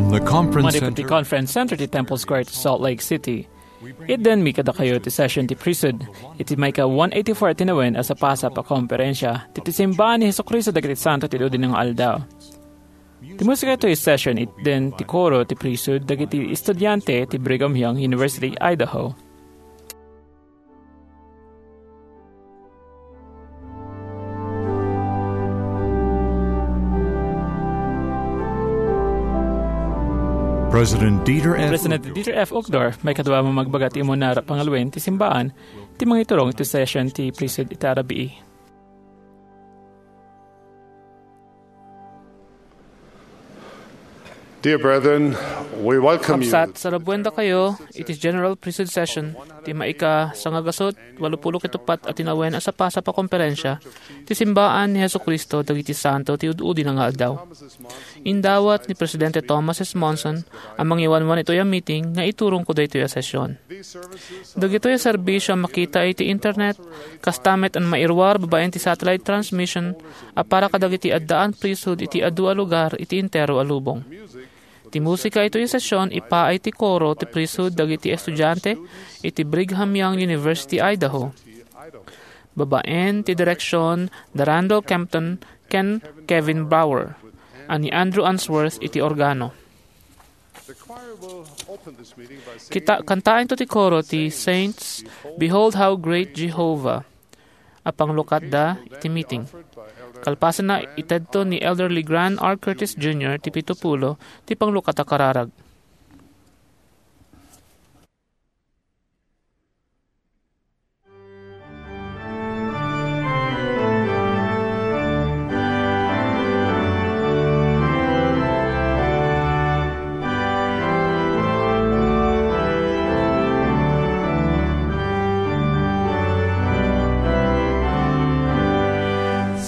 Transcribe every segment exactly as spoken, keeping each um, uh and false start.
The Conference Manipud ti Center. Conference Center ti Temple Square ti Salt Lake City. Itden mi kadakayo ti session ti priesthood iti maika one eighty-four a tinawen a sapasap a komperensia ti, ti simbaan ni Jesu-Cristo dagiti santo ti udi nga aldaw. Ti musika itoy session itden ti koro ti priesthood dagiti estudiante ti Brigham Young University, Idaho. President Dieter F. President Dieter F. Uchtdorf, maikadua a mamagbaga ti umuna a pangaluen ti simbaan, ti mangiturong iti session ti priesthood ita a rabii. Dear brethren, we welcome you. Kabsat, sarabuen dakayo iti General Priesthood Session ti maika sangagasut walupulo ket uppat a tinawen a sapasap a komperensia ti simbaan ni Jesu-Cristo dagiti santo ti ud-udi nga aldaw. Indawat ni Presidente Thomas S. Monson a mangiwanwan itoy a meeting nga iturongko daytoy a session. Dagitoy a serbisio a makita iti internet, kasta met a mairuar babaen ti satellite transmission a para kadagiti addaan priesthood iti adu a lugar iti entero a lubong. Ti musika itoy a session ipaay ti koro ti priesthood dagiti estudiante iti Brigham Young University, Idaho, babaen ti direksion da Randall Kempton ken Kevin Bauer, a ni Andrew Unsworth iti organo. Kita, kantaento ti koro ti Saints, "Behold How Great Jehovah," a panglukatda iti meeting. Kalpasanna, itedto ni Elder Legrand R. Curtis Junior ti pitupulo ti panglukat a kararag.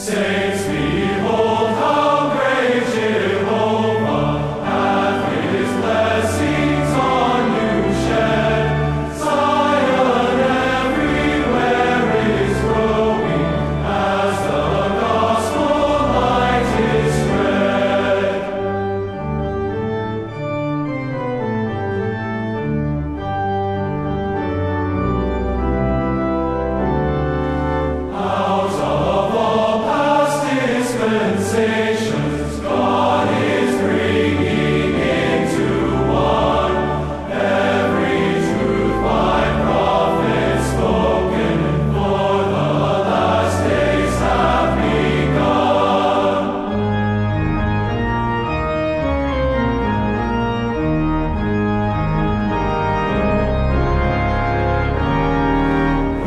Saints, behold how great Jehovah hath his blessings on you shed. Zion everywhere is growing as the gospel light is spread. Out of all past dispensations, God is bringing into one every truth by prophets spoken, for the last days have begun.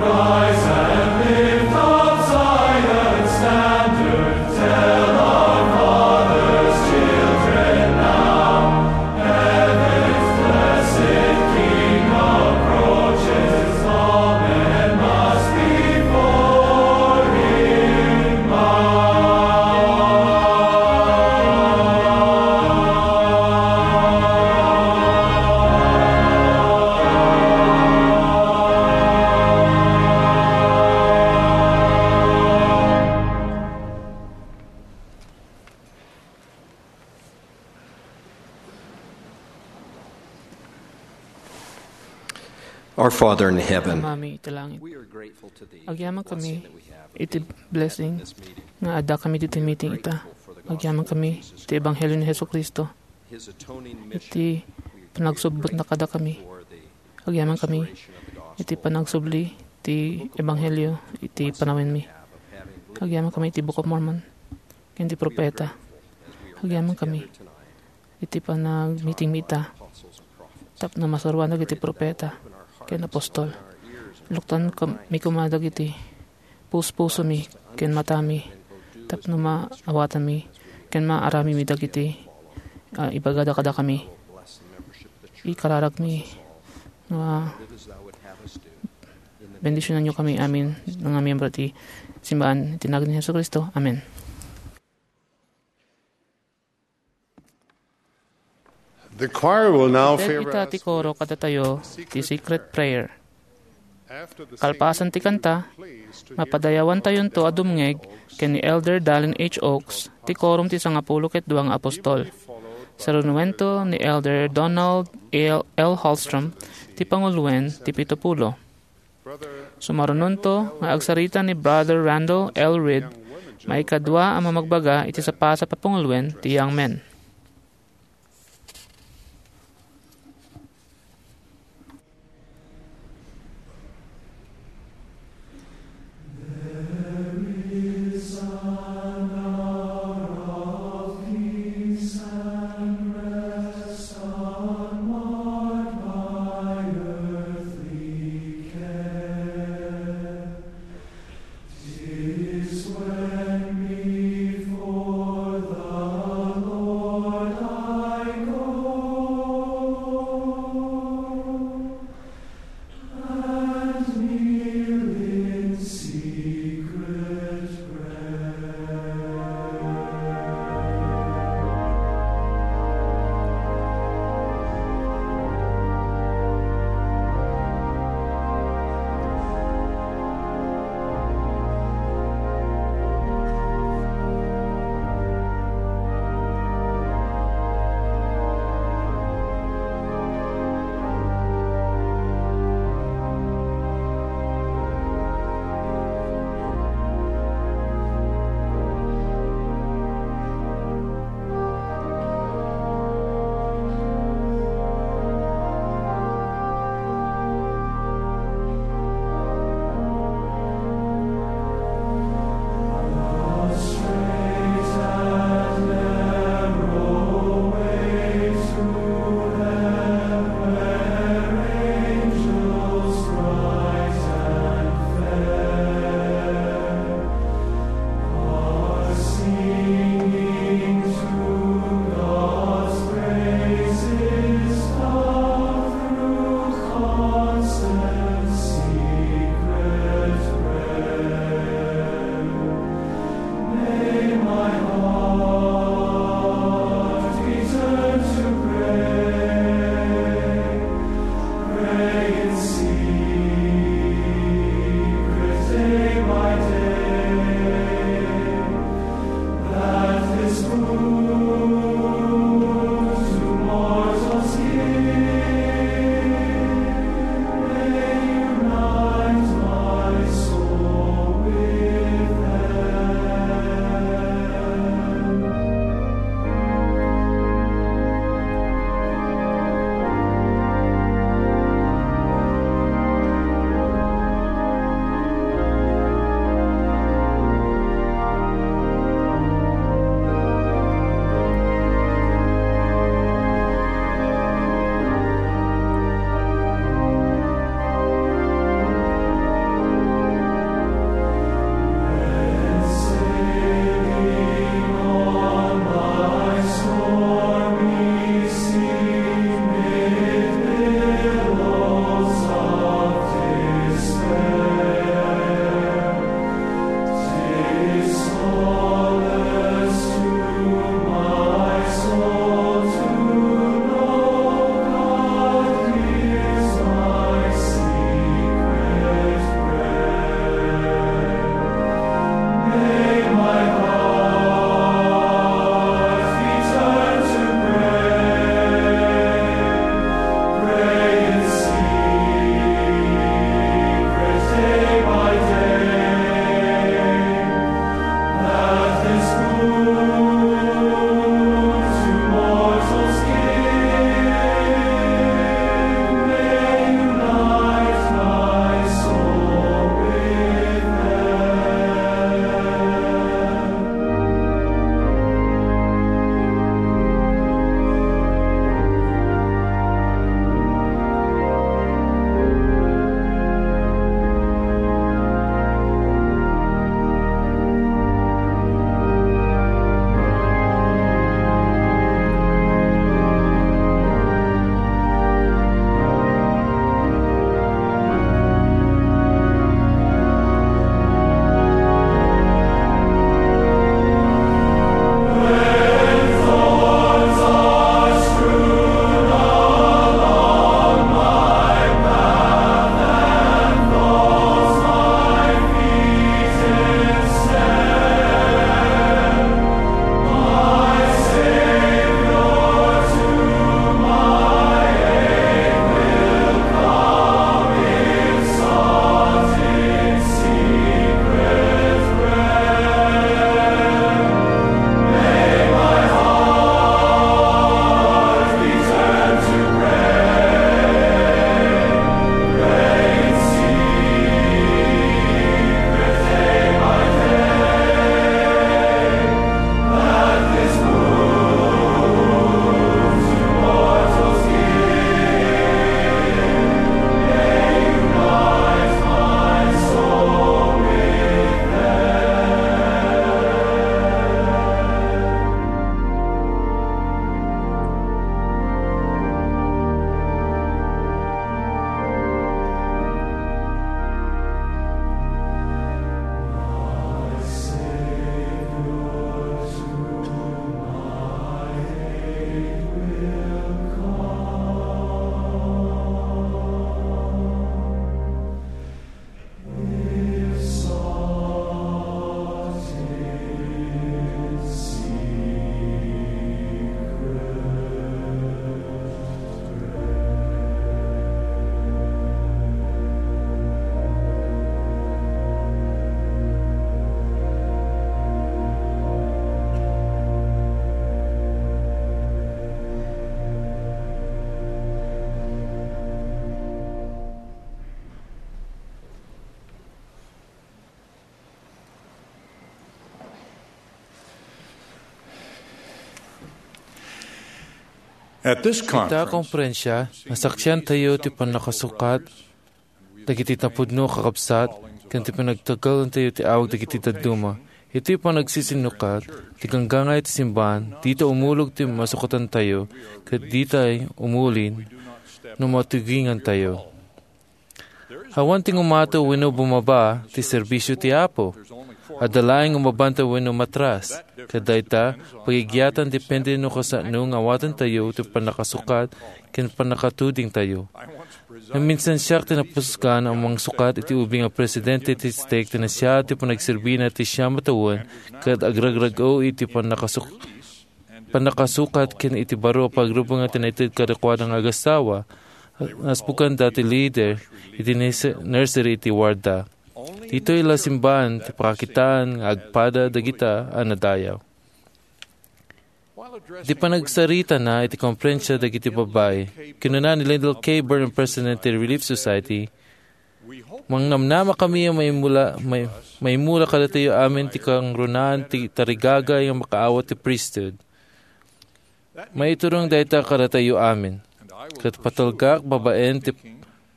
Rise and lift up Zion's standard, tell our fathers' children now. Heaven's blessed King approaches, all men must before him bow. Our Father in heaven, Ama mi iti langit. Agyaman kami iti blessing nga adda kami ditoy meeting ita. Agyaman kami iti ebanghelio ni Jesu-Cristo. Iti panagsubbotna kadakami. Agyaman kami iti panagsubli ti ebanghelio iti panawenmi. Agyaman kami iti Book of Mormon ken ti propeta. Agyaman kami iti panagmitingmi ita tapno masuroan dagiti propeta ken apostol. Luktan kam-, mi koma dagiti puspusomi ken matami tapno maawatanmi ken maaramidmi dagiti, ah, ibagada kadakami. Ikararagmi nga bendisionanyo kami amin nga miyembro ti simbaan iti nagan ni Jesu-Cristo. Amen. The choir will now Ted ita ti koro kadatayo ti secret prayer. Kalpasan ti kanta, mapadayawantayonto a dumngeg ken ni Elder Dallin H. Oaks, ti Quorum ti Sangapulo ket Dua nga Apostol. Sarunuento ni Elder Donald L. L. Hallstrom ti panguloen ti pito pulo. Sumarunonto nga agsarita ni Brother Randall L. Reed, maikadua a mamagbaga iti sapasap a panguloen ti Young Men. At this Ita conference, konferensya, nasaksiantayo ti pannakasukat dagiti napudno a kakabsat ken ti panagtagalentayo ti awag dagiti dadduma. Iti panagsisinukat ti ganggangayo ti simbahan, dita umulog ti masukatantayo, ket ditay umulin no matugingantayo. Awan ti ngumato wenno bumaba ti serbisio ti Apo. Adda laeng nga mabantay wenno matras. Ket dayta, pagigiatan depende no kasano nga awatantayo ti pannakasukat ken pannakatudingtayo. Naminsan siak ti napusgan a mangsukat iti ubing a presidente ti stake ti nasiaat ti panagserbina ti siam a tawen ket agragrag-o iti pannakasuk-, pannakasukat ken iti baro a pagrumongan ti naited kadakuada nga agasawa. Nasbukanda ti lider iti nurse-, nursery iti warda. Ditoy la simbahan ti pakakitaan nga agpada dagita a nadayaw. Di panagsaritana iti konferensya dagiti babbai, kinuna ni Lyndall K. Burton, President ti Relief Society, "Mangnamnama kami a maimula, may, maimula kadatayo amin ti kangrunaan ti tarigagay nga makaawat ti priesthood. Maiturong dayta kadatayo amin. Ket patulgak babaen ti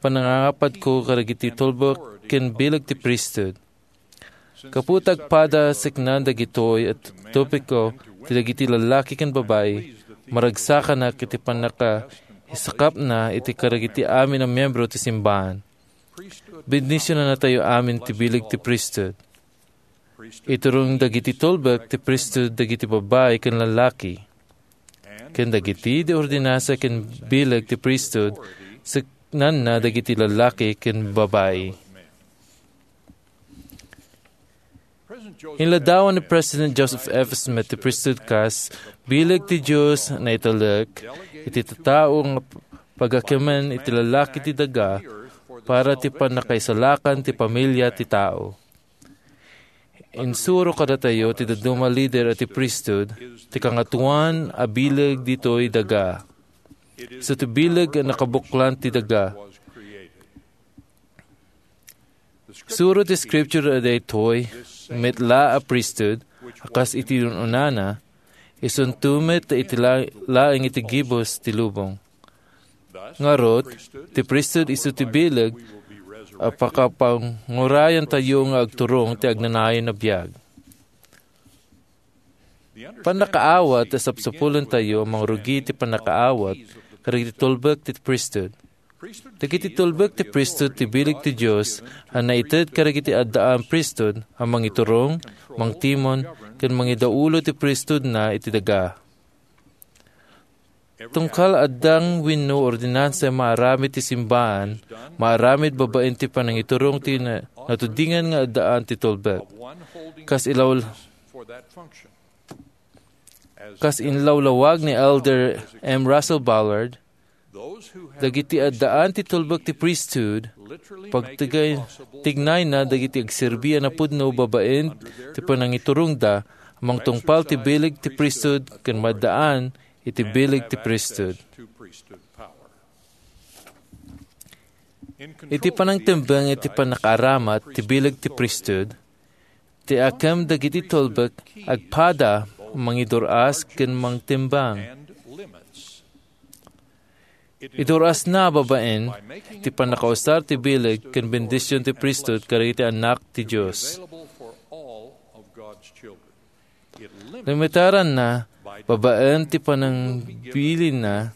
panangangapadko kadagiti tulbek ken bileg ti priesthood." Gapu ta agpada siknan dagitoy a topiko ti dagiti lallaki ken babai, maragsakanak iti pannakaisakapna iti kadagiti amin a miembro ti simbahan. Bendisionannatayo amin ti bileg ti priesthood. Iturong dagiti tulbek ti priesthood dagiti babai ken lallaki. Ken dagiti di ordinansa ken bileg ti priesthood, siknanna dagiti lallaki ken babai. Inladawan ni President Joseph F. Smith ti priesthood kas bileg ti Dios a naitulek iti tattao nga pagakemen iti lallaki ti daga para ti pannakaisalakan ti pamilia ti tao. Insuro kadatayo ti dadduma a lider a ti priesthood ti kangatoan a bileg ditoy daga. Isu ti bileg a nakabuklan ti daga. Suro ti Scripture a daytoy met la a priesthood a kas iti un-unana, isunto met iti la-, laeng iti gibus ti lubong. Ngarud, ti priesthood isu ti bileg a pakapangurayantayo nga agturong ti agnanayon a biag. Pannakaawat a sapsapulentayo a mangrugi ti pannakaawat kadagiti tulbek ti priesthood. Dagiti tulbek ti priesthood ti bileg ti Dios a naited kadagiti addaan priesthood a mangiturong, mangtimon, ken mangidaulo ti priesthoodna iti daga. Tunggal addang wenno ordinansa maaramid ti simbahan, maaramid babaen ti panangiturong ti na-, natudingan nga addaan ti tulbek. Kas ilaw-, kas inlawlawag ni Elder M. Russell Ballard, dagiti addaan ti tulbek ti priesthood, pagtigay-, tignayna dagiti agserbi a napudno babaen ti panangiturongda, mangtungpal ti bileg ti priesthood ken maddaan iti bileg ti priesthood. Iti panangtembeng iti pannakaaramat ti bileg ti priesthood, ti akem dagiti tulbek agpada mangidur-as ken mangtembang. Idur-asna babaen ti pannakausar ti bileg ken bendision ti priesthood kadagiti annak ti Dios. Limitaranna babaen ti panangbilinna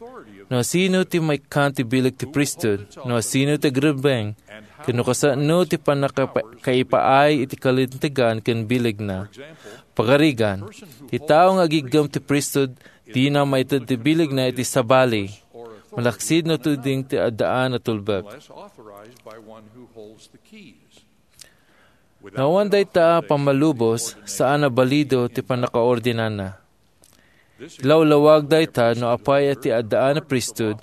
no asino ti maikkan ti bileg ti priesthood, no asino ti agrumbeng, ken no kasano ti pannakaipaay iti kalintegan ken bilegna. Pagarigan, ti tao nga agiggem ti priesthood dina maited ti bilegna iti sabali, malaksid no tuding ti addaan a tulbek. No awan dayta a pammalubos, saan a balido ti pannakaordinana. Lawlawag dayta no apay ti addaan a priesthood,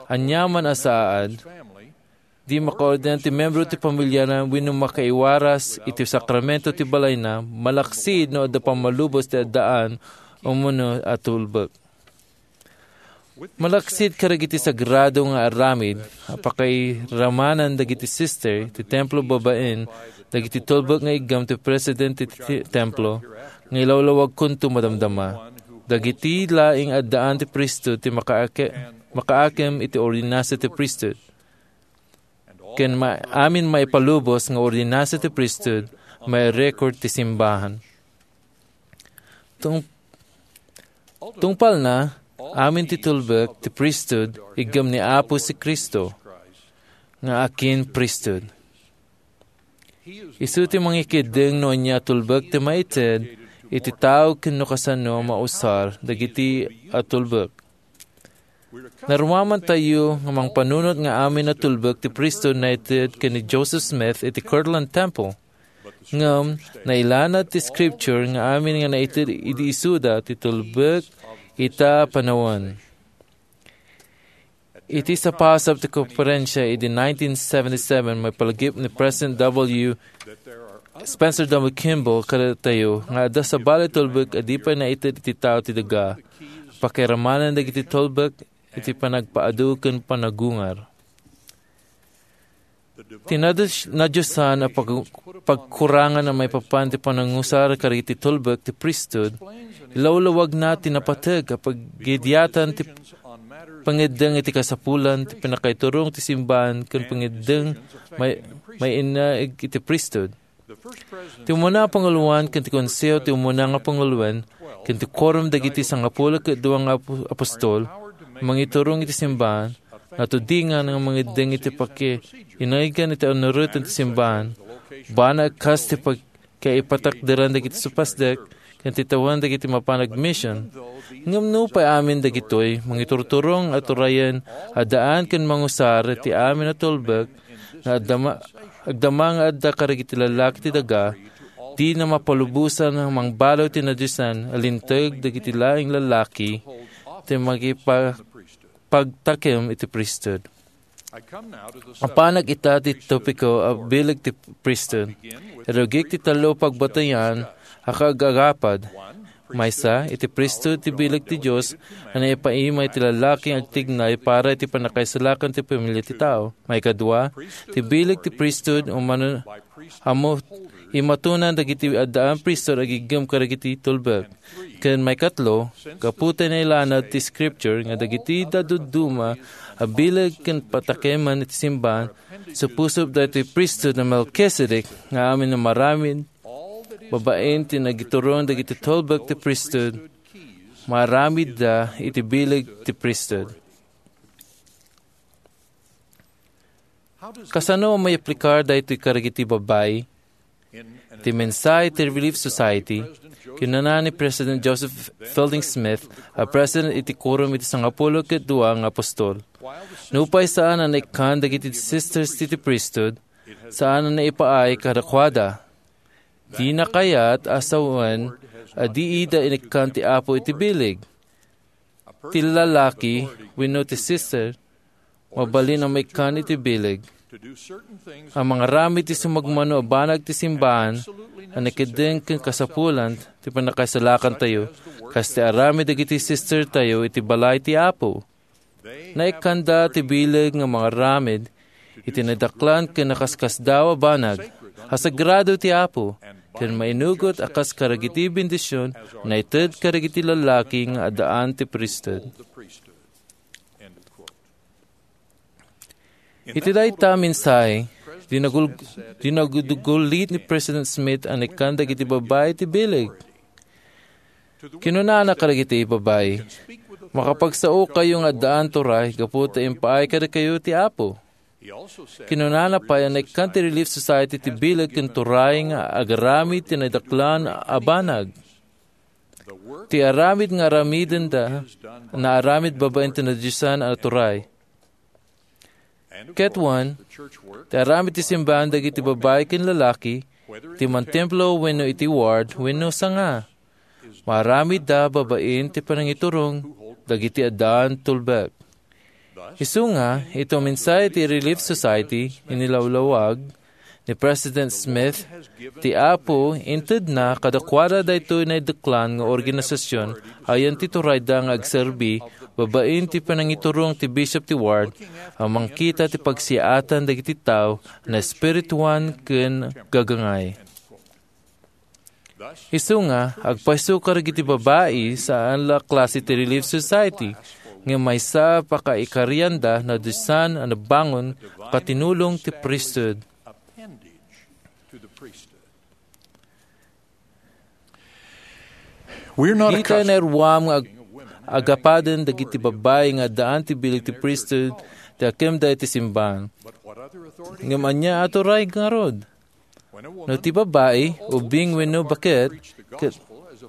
aniaman a saad, di makaordinar ti membro ti pamiliana wenno makaiwaras iti sakramento ti balayna, malaksid no adda pammalubos ti addaan umuna a tulbek. Malaksid kadagiti sagrado nga aramid a pakairamanan dagiti sister ti templo babaen dagiti tulbek nga iggem ti presidente ti ti-, templo nga ilawlawagkonto madamdama. Dagiti laeng addaan ti priesthood ti makaake-, makaakem iti ordinansa ti priesthood. Ken ma-, amin maipalubos nga ordinansa ti priesthood, mairecord ti simbahan. Tung-, tungpalna, amin ti tulbek ti priesthood, igem ni Apo si Cristo, nga akin priesthood. Isu ti mangikeddeng no ania a tulbek ti maited iti tao ken no kasano a mausar dagiti a tulbek. Narumamantayo nga mangpanunot nga amin a tulbek ti priesthood naited ken ni Joseph Smith iti Kirtland Temple. Ngem, nailanad ti Scripture nga amin nga naited idi isuda ti tulbek ita a panawen. Iti sapasap ti konferensia idi nineteen seventy-seven, maipalagip ni President W. Spencer W. Kimball kadatayo nga adda sabali tulbek a di pay naited iti tao ti daga. Pakiramanen dagiti tulbek iti panagpaadu ken panagungar. Ti nadus-, nadiosan a pag-, pagkurangan a maipapan ti panangusar kadagiti tulbek ti priesthood, ilawlawagna ti napateg a paggidyatan ti pangeddeng iti kasapulan, ti pannakaiturong ti simbahan, ken pangeddeng may-, mainaig iti priesthood. Ti umuna a panguloen ken ti Konseho ti Umuna nga Panguloen ken ti Quorum dagiti Sangapulo ket Dua nga Apo-, Apostol, mangiturong iti simbahan, natudingan nga mangeddeng iti pakiinaigkan iti annuroten ti simbahan, banag kas ti pagkaipatakderan dagiti supasdek ken ti tawen dagiti mapan agmission. Ngem nupay amin dagitoy, mangiturturong a turayen, addaan ken mangusar ti amin a tulbek, nga agdama, agdama nga adda kadagiti lallaki ti daga, dina mapalubosan a mangbaliw ti nadiosan a linteg dagiti laeng lallaki ti makipa-, pagtakem iti priesthood. Apanak ita ti topiko a bileg ti priesthood. Irugik ti tallo a pagbatayan a kaagagapad. Maysa, iti priesthood ti bileg ti Dios a naipaima iti lallaki nga agtignay para iti pannakaisalakan ti pamilya ti tao. Maikadua, ti bileg ti priesthood umano, ammo, imatunan dagiti addaan priesthood agiggem kadagiti tulbek. Ken maikatlo, gapu ta nailanad ti Scripture nga dagiti dadduma a bileg ken patakeman iti simbahan, supusop daytoy priesthood a Melchizedek nga amin a maramid babaen ti nagiturong dagiti tulbek ti priesthood, maaramidda iti bileg ti priesthood. Kasano a maiplikar daytoy kadagiti babbai? Ti mensahe ti Relief Society, kinuna ni President Joseph Fielding Smith a president iti Quorum iti Sangapulo ket Dua nga Apostol. Nupay saan a naikkan dagiti sisters ti, ti priesthood, saan a naipaay kadakuada. Dina kayat a sawen a di ida inikkan ti Apo iti bileg. Ti lalaki wenno ti sister, mabalin a maikkan iti bileg a mangaramid ti sumagmamano a banag ti simbahan a nakeddeng ken kasapulan ti pannakaisalakantayo, kas ti aramid dagiti sistertayo iti balay ti Apo. Naikkanda ti bileg nga mangaramid iti nadaklan ken nakaskasdaaw a banag a sagrado ti Apo, ken mainugot a kas kadagiti bendision a naited kadagiti lallaki nga addaan ti priesthood. Iti dayta a mensahe, dinagul-, dinagulgullit ni President Smith a naikkan dagiti babbai ti bileg. Kinunana kadagiti babbai, "Makapagsaokayo nga addaan turay gapu ta impaay kadakayo ti Apo." Kinunana pay a naikkan ti Relief Society ti bileg ken turay nga agaramid ti nadaklan a banag. Ti aramid nga aramidenda, naaramid babaen ti nadiosan a turay. Ket wen, ti aramid ti simbahan dagiti babbai ken lalaki, ti mantemplo wenno iti ward wenno sanga, maaramidda babaen ti panangiturong dagiti addaan tulbek. Isu nga, iti mensahe ti Relief Society, inilawlawag ni President Smith ti Apo, intedna kadakuada daytoy naidaklan nga organisasyon a ayan ti turayda nga agserbi babaen ti panangiturong ti bishop ti ward a mangkita ti pagsiaatan dagiti tao a naespirituan ken gagangay. Isu nga, agpayso kadagiti babai saan la klase ti Relief Society, ngem maysa a pakaikarianda no disan a nabangon a katinulong ti priesthood. We're not Dita accustomed naruam nga ag-, agapaden dagiti babbai nga addaan ti bileg ti priesthood ti akemda iti simbahan. Ngem ania a turay ngarud? No ti babbai, ubing wenno baket, ket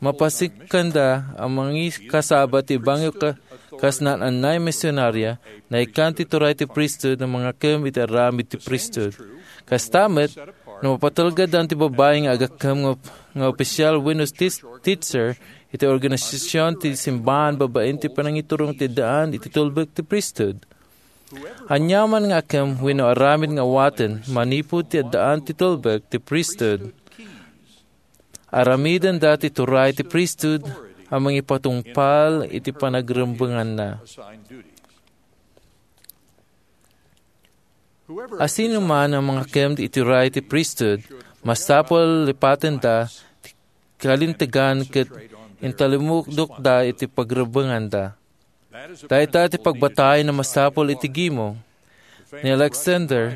mapasikkanda a mangikasaba ti ebanghelio ka-, kas naan-annay a misionaria, naikkan ti turay ti priesthood a mangakem iti aramid ti priesthood. Kasta met, no mapatelgedan ti babbai nga agakem nga, nga opisial wenno tis-, teacher iti organisasion ti simbahan babaen ti panangiturong ti addaan iti tulbek ti priesthood. Aniaman nga akem wenno aramid nga awaten manipud ti addaan ti tulbek ti priesthood, aramidenda ti turay ti priesthood a mangipatungpal iti panagrembenganna. Asinoman a mangakem iti turay ti priesthood, masapul lipatenda ti kalintegan ket intalumukdokda iti pagrebbenganda. Dayta ti pagbatay a masapul iti gimong. Ni Alexander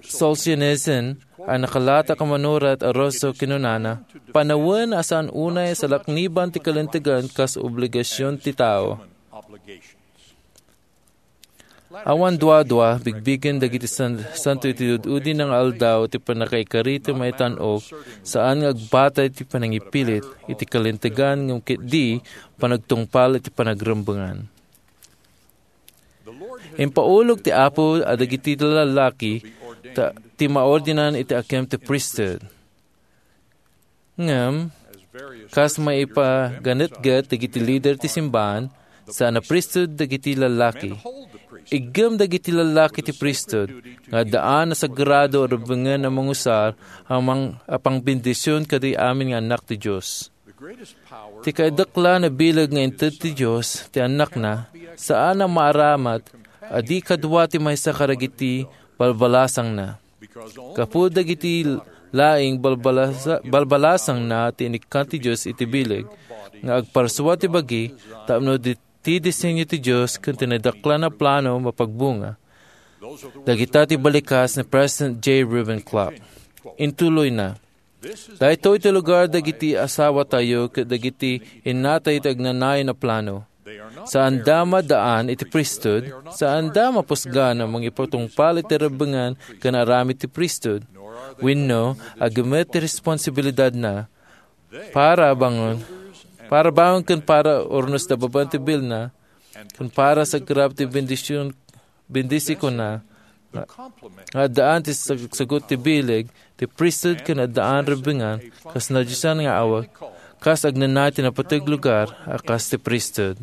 Solzhenitsyn a nakalata a manurat a Ruso kinunana, panawen a saan unay a salakniban ti kalintegan kas obligasion ti tao. Awan duadua, bigbigen dagiti san-, santo iti ud-udi nga aldaw ti pannakaikari ti maitan-ok, saan nga agbatay ti panangipilit iti kalintegan ngem ketdi panagtungpal iti panagrembengan. Impaulog ti Apo a dagiti lallaki ta-, ti maordinan iti akem ti priesthood. Ngem, kas maipaganetget dagiti lider ti simbahan, saan a priesthood dagiti lallaki. Iggem dagiti lallaki ti priesthood nga addaan a sagrado a rebbengen a mangusar a mang-, a pangbendision kadagiti amin nga annak ti Dios. Ti kaidaklan a bileg nga inted ti Dios ti Annakna, saan a maaramat a di kadua ti maysa kadagiti balbalasangna. Gapu dagiti laing balbalasa-, balbalasangna ti inikkan ti Dios iti bileg, nga agparsua ti bagi tapno di-, ti disenyo ti Dios ken ti nadaklan a plano mapagbunga. Dagita ti balikas ni President J. Reuben Clark. Intuloyna, "Daytoy ti lugar dagiti asawatayo ket dagiti innatayo ti agnanayon a plano. Saanda maddaan iti priesthood, saanda mapusgan a mangipatungpal iti rebbengan ken aramid ti priesthood, wenno agimet ti responsibilidadna para bangon, para bangon ken para urnosda babaen ti bilna, ken para sagrap ti bendision, bendisionna, nga, nga addaan ti sag-, sagut ti bileg, ti priesthood ken addaan rebbengan, kas nadiosan nga awag, kas agnanayon ti napateg lugar a kas ti priesthood."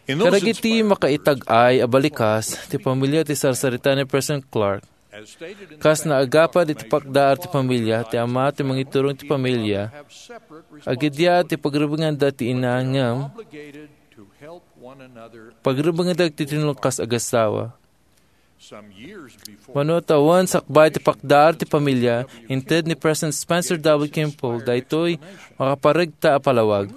Kadagiti makaitag-ay a balikas ti pamilia ti sarsarita ni President Clark, kas naagapad iti pakdaar ti pamilia, ti ama ti mangiturong ti pamilia, agidiat ti pagrebbenganda ti ina ngem pagrebbenganda ti tinulong kas agasawa. Mano tawen sakbay ti pakdaar ti pamilia, inted ni President Spencer W. Kimball daytoy makaparegta a palawag.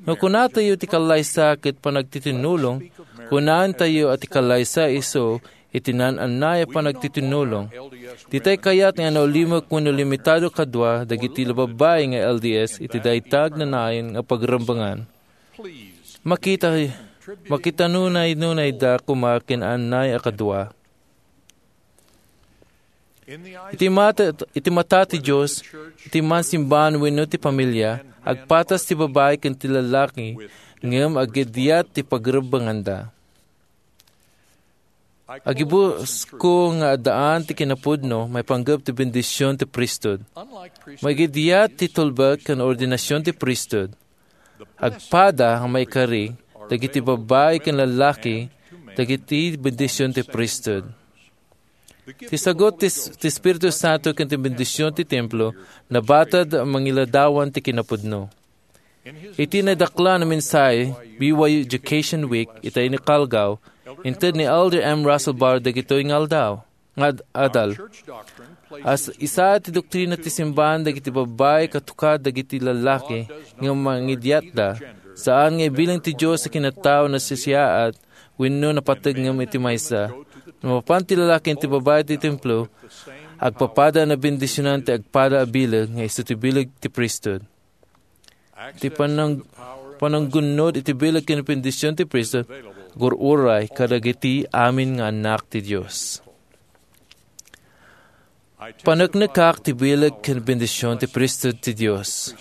No kunatayo ti kallaysa ket panagtitinulong, kunaentayo a ti kallaysa isu iti naan-annay a panagtitinulong. Ditay kayat nga naulimek wenno limitado kadua dagiti babbai nga L D S iti dayta agnanayon nga pagrembengan. Makita, makitanunay-nunayda koma ken annay a kadua. Iti mata, iti mata ti Dios, iti mansimbahan wenno ti pamilia, agpatas ti babai ken ti lallaki, ngem agidiat ti pagrebbenganda. Agibusko nga addaan ti kinapudno maipanggep ti bendision ti priesthood. Maigidiat ti tulbek ken ordinasion ti priesthood. Agpada nga maikari dagiti babbai ken lallaki dagiti bendision ti priesthood. Ti sagut ti, ti Espiritu Santo ken ti bendision ti templo nabatad a mangiladawan ti kinapudno. Iti nadaklan a mensahe, B Y U Education Week, iti inkalgaw, inted ni Elder M. Russell Ballard dagitoy nga aldaw. nga ad-, adal. As-, isa ti doktrina ti simbahan dagiti babbai katukad dagiti lallaki nga mangidiatda. Saan nga ibilin ti Dios a kinatao a nasisiaat wenno napateg ngem iti maysa. No mapan ti lallaki ken ti babbai iti templo, agpapada a nabendisionan ti agpada a bileg nga isu ti bileg ti priesthood. Ti panang-, pananggunnod iti bileg ken bendision ti priesthood, agur-uray kadagiti amin nga annak ti Dios. Paneknekak ti bileg ken bendision ti priesthood ti Dios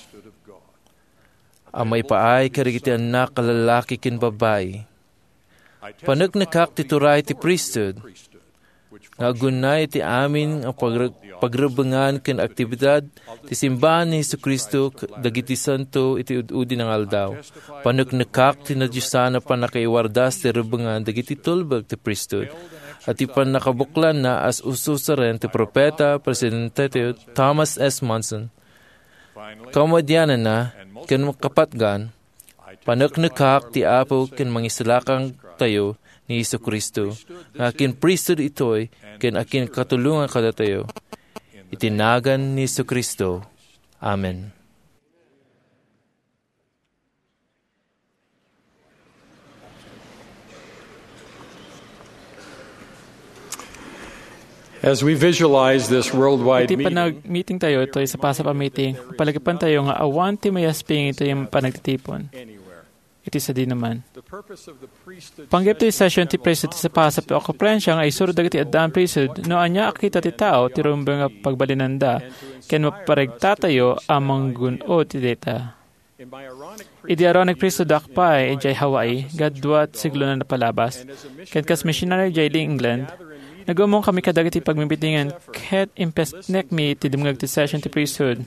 a maipaay kadagiti annak a lallaki ken babbai. Paneknekak ti turay ti priesthood nga agunnay iti amin nga pagre-, pagrebengan ken aktibidad ti simbahan ni Jesu-Cristo k-, dagiti santo iti ud-udi nga aldaw. Paneknekak ti nadiosan a pannakaiwardas ti rebengan dagiti tulbek ti priesthood, a ti pannakabuklanna as ususaren ti propeta, Presidente Thomas S. Monson. Kamadiananna, ken kapatgan, paneknekak ti Apo ken Mangisalakantayo ni Jesu-Cristo, nga akin priesthood itoy ken akin katulongan kadatayo. Iti nagan ni Jesu-Cristo. Amen. As we visualize this worldwide Iti meeting, panag-meeting tayo, itoy sapasap a meeting, palagipan tayo nga awan ti mayasping itoy panagtitipon. Iti sadinaman. Panggep ti session ti priesthood ti sapasap a konferensia nga isuro dagiti addaan priesthood no ania a kita ti tao ti rumbeng a pagbalinanda ken maparegtatayo a manggun-od ti dayta. Idi Aaronic priesthood-ak pay idiay Hawaii, nga dua ti siglo a napalabas, ken kas missionary idiay England, nag-ummongkami kadagiti pagmimitingan ket impesnekmi ti dumngeg ti session ti priesthood.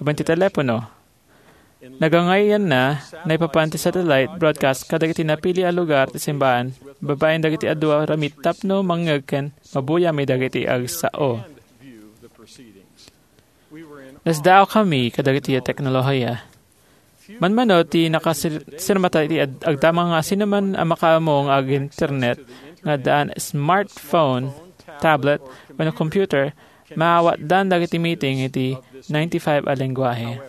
Awan ti telepono. Nagangayanna, naipapan ti satellite broadcast kadagiti napili a lugar ti simbahan, babaen dagiti adu a ramid tapno mangngeg ken mabuyami dagiti agsao. Nasdaawkami kadagiti teknolohiya. Manmano ti nakasir-, sirmata iti ad-, agdama nga sinoman a makaammo nga ag-internet nga addaan smartphone, tablet, wenno computer, maawatdan dagiti meeting iti ninety-five a lengguahe.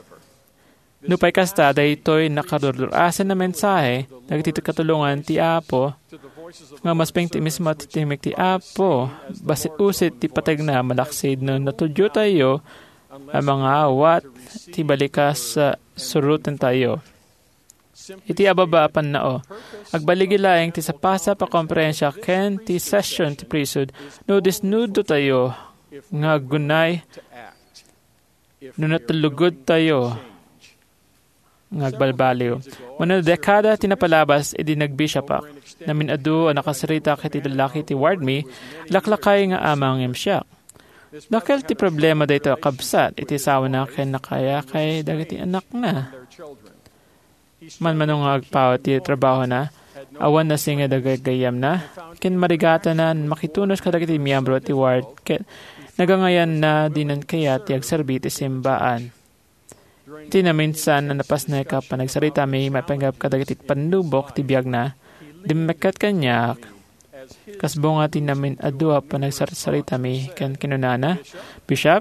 Nupay kasta, daytoy nakadurdur-asen a mensahe dagiti katulongan ti Apo nga umasping ti mismo ti timek ti Apo, basi usit ti pategna malaksid no natudiotayo a mangawat ti balikas a surotentayo. Iti ababa a pannao, agbaligi laeng ti sapasap a konferensia ken ti session ti priesthood no disnudotayo nga aggunay no natullugodtayo nga agbalbaliw. Mano dekada ti napalabas idi nagbisiapak, namin-adu a nakasaritak iti lallaki ti ward mi, laklakay nga amangem siak. Dakkel ti problema daytoy a kabsat iti asawana ken nakayakay dagiti anakna. Manmano nga agpaut ti trabahona, awan nasinged a gagayyemna, ken marigatana makitunos kadagiti miyembro ti ward ket nagangayanna dinan kayat ti agserbi ti simbaan. Iti naminsan a napasnek a panagsaritami maipanggep kadagiti pannubok ti biagna, dimmekket kaniak kas bunga ti namin-adu a panagsarsaritami ken kinunana, "Bishop,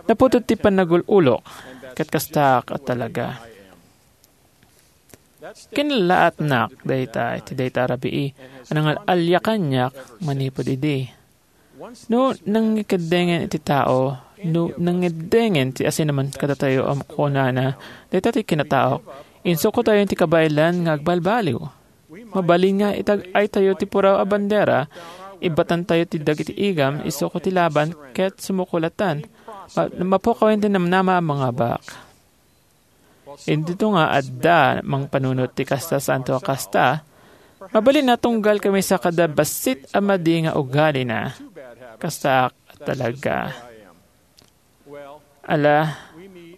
naputot ti pannagul-ulok, ket kastaak a talaga." Kinalaatnak dayta iti dayta a rabii a nangal-alia kaniak manipud idi. No nangikeddengen iti tao, no nangeddengen ti asinaman kadatayo a kunana, "Dayta ti kinataok," insukotayon ti kabaelan nga agbalbaliw. Mabalin nga itag-aytayo ti puraw a bandera, ibbatantayo ti dagiti igam isuko ti laban ket sumuko latan. Ma-, mapukawen ti namnama a mangabak. Dito nga adda mangpanunot ti kasta santo a kasta, mabalin a tunggal kami sa kada bassit a madi nga ugalina. Kasta talaga. Ala,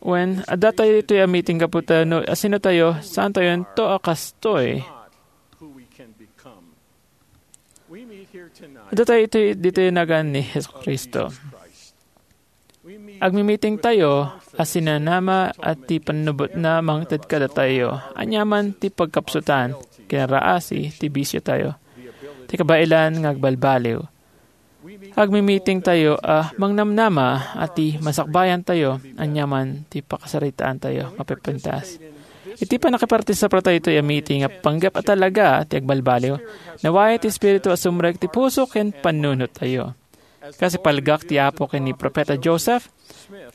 wen, adda tayo ditoy a meeting gapu ta no asino tayo, saan tayo ento a kastoy. Adda tayo itoy, ditoy nagan ni Jesu-Cristo. Agmimiting tayo a sinanama a ti pannubotna mangted kadatayo. Aniaman ti pagkapsutan, kinaraasi ti bisio tayo. Ti kabaelan nga agbalbaliw. Agmimiting tayo a mangnamnama a ti masakbayan tayo, aniaman ti pakasaritaan tayo, mapipintas. Iti pannakiparte sa tayo iti a meeting a panggep a talaga ti agbalbaliw, nawaya ti Espiritu a sumrek ti puso ken pannunot tayo. Kas ipalgak ti Apo ken ni Profeta Joseph,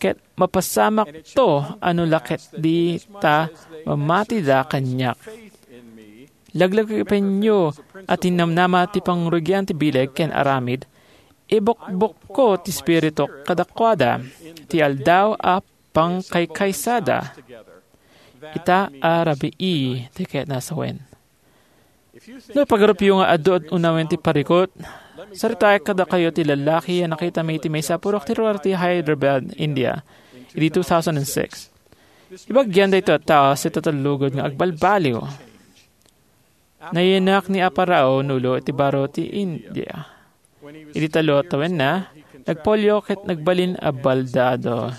ket mapasamak to a no la ket di ta mamatida kaniak. Laglagipenyo a tinnamnama ti pangrugian ti bileg ken aramid, ibukbukko ti Espiritu kadakuada, ti aldaw a pangkaykaysada. Ita a rabii ti ket nasawen. No pagarupyo nga adu a unawen ti parikut, saritaek kadakayo ti lallaki a nakitami iti maysa a pudno ti lugar ti Hyderabad, India, idi two thousand six. Ibagian daytoy a tao sa tatalugod nga agbalbaliw. Nayanak ni Apo Rao Nulu iti baro ti India. Idi tallo a tawenna, nagpolio ket nagbalin a baldado.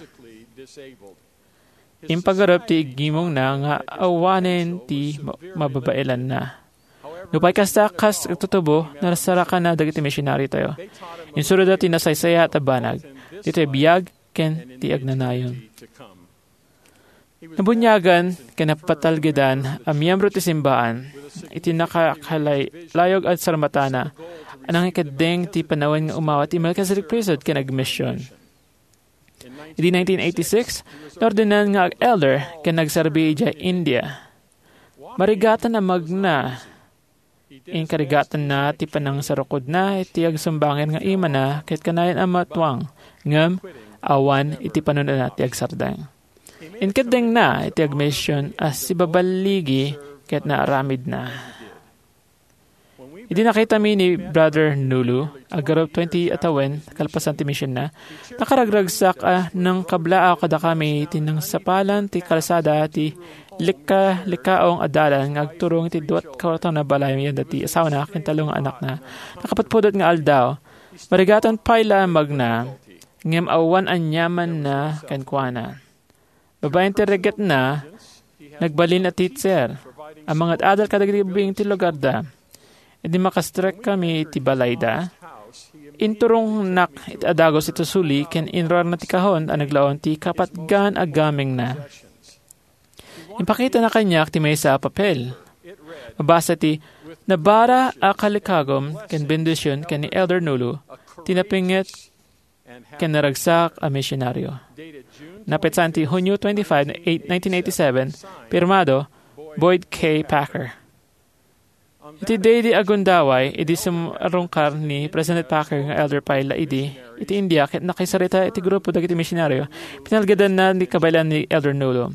Impagarup ti iggimongna nga awanen ti ma-, mababaelanna. Nupay kasta, kas agtutubo, narsarakanna dagiti misionariotayo. Insuroda ti nasaysayaat a banag, ditoy biag ken ti agnanayon. Nabuniagan ken napatalgedan a miyembro ti simbaan iti nakakalay-, layog a sarmatana a nangikeddeng ti panawen nga umawa ti Melchizedek Priesthood ken agmision. Idi nineteen eighty-six, naordinan nga elder ken nagserbi idiay India. Marigatan a magna. Inkarigatanna ti panangsarukodna iti agsumbangen nga imana ket kanayon a matuang, ngem awan iti panunotna ti agsardeng. Inkeddengna iti agmision a sibaballigi ket naaramidna. Idi nakitami ni Brother Nulu, agarup twenty a tawen kalpasan ti misionna, nakaragragsak a nangkablaaw kadakami iti nangsapalan ti kalsada ti likka-likkaong a dalan nga agturong iti duat kawartona balay yanda ti asawana ken tallo nga anakna. Nakapudpudot nga aldaw, marigatan pay la a magna, ngem awan aniamanna kenkuana. Babaen ti reggetna, nagbalin a teacher, a mangad-adal kadagiti ubing ti lugarda. Idi makastrekkami iti balayda, inturongnak iti adagus iti suli ken inruarna ti kahon a naglaon ti kapatgan a gamengna. Impakitana kaniak ti maysa a papel. Mabasa ti, "Nabara a kalikagum ken bendision ken ni Elder Nulu, ti napinget ken naragsak a misionario." Napetsan ti Hunyo twenty-five, eight, nineteen eighty-seven, pirmado, Boyd K. Packer. Iti daydi a gundaway, idi sumrungkar ni President Packer nga elder pay la idi iti India ket nakisarita iti grupo dagiti misionario, pinalgedanna ni kabaylan ni Elder Nulu.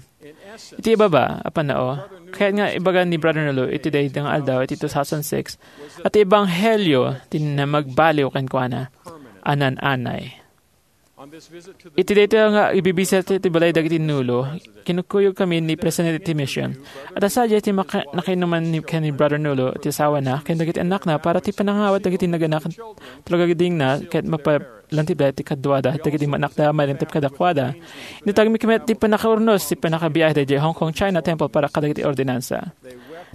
Iti ibaba a pannao, kayat nga ibaga ni Brother Nulu iti daydi nga aldaw iti two thousand six, a ti ebanghelio ti namagbaliw kenkuana a naan-anay. Iti daytoy nga ibibisita ti balay dagiti Nulu, kinukuyogkami ni President ti Mission. Adda sadiay ti maka-, nakainuman ni, ken ni Brother Nulu, ti asawana, ken dagiti annakna para ti panangawat dagiti naganak, tulagagidingna, ket mapalantibda ti kaduada dagiti manakda a mailantib kadakuada. Initagmi met ti pannakaurnos ti pannakabiahe idiay Hong Kong China Temple para kadagiti ordinansa.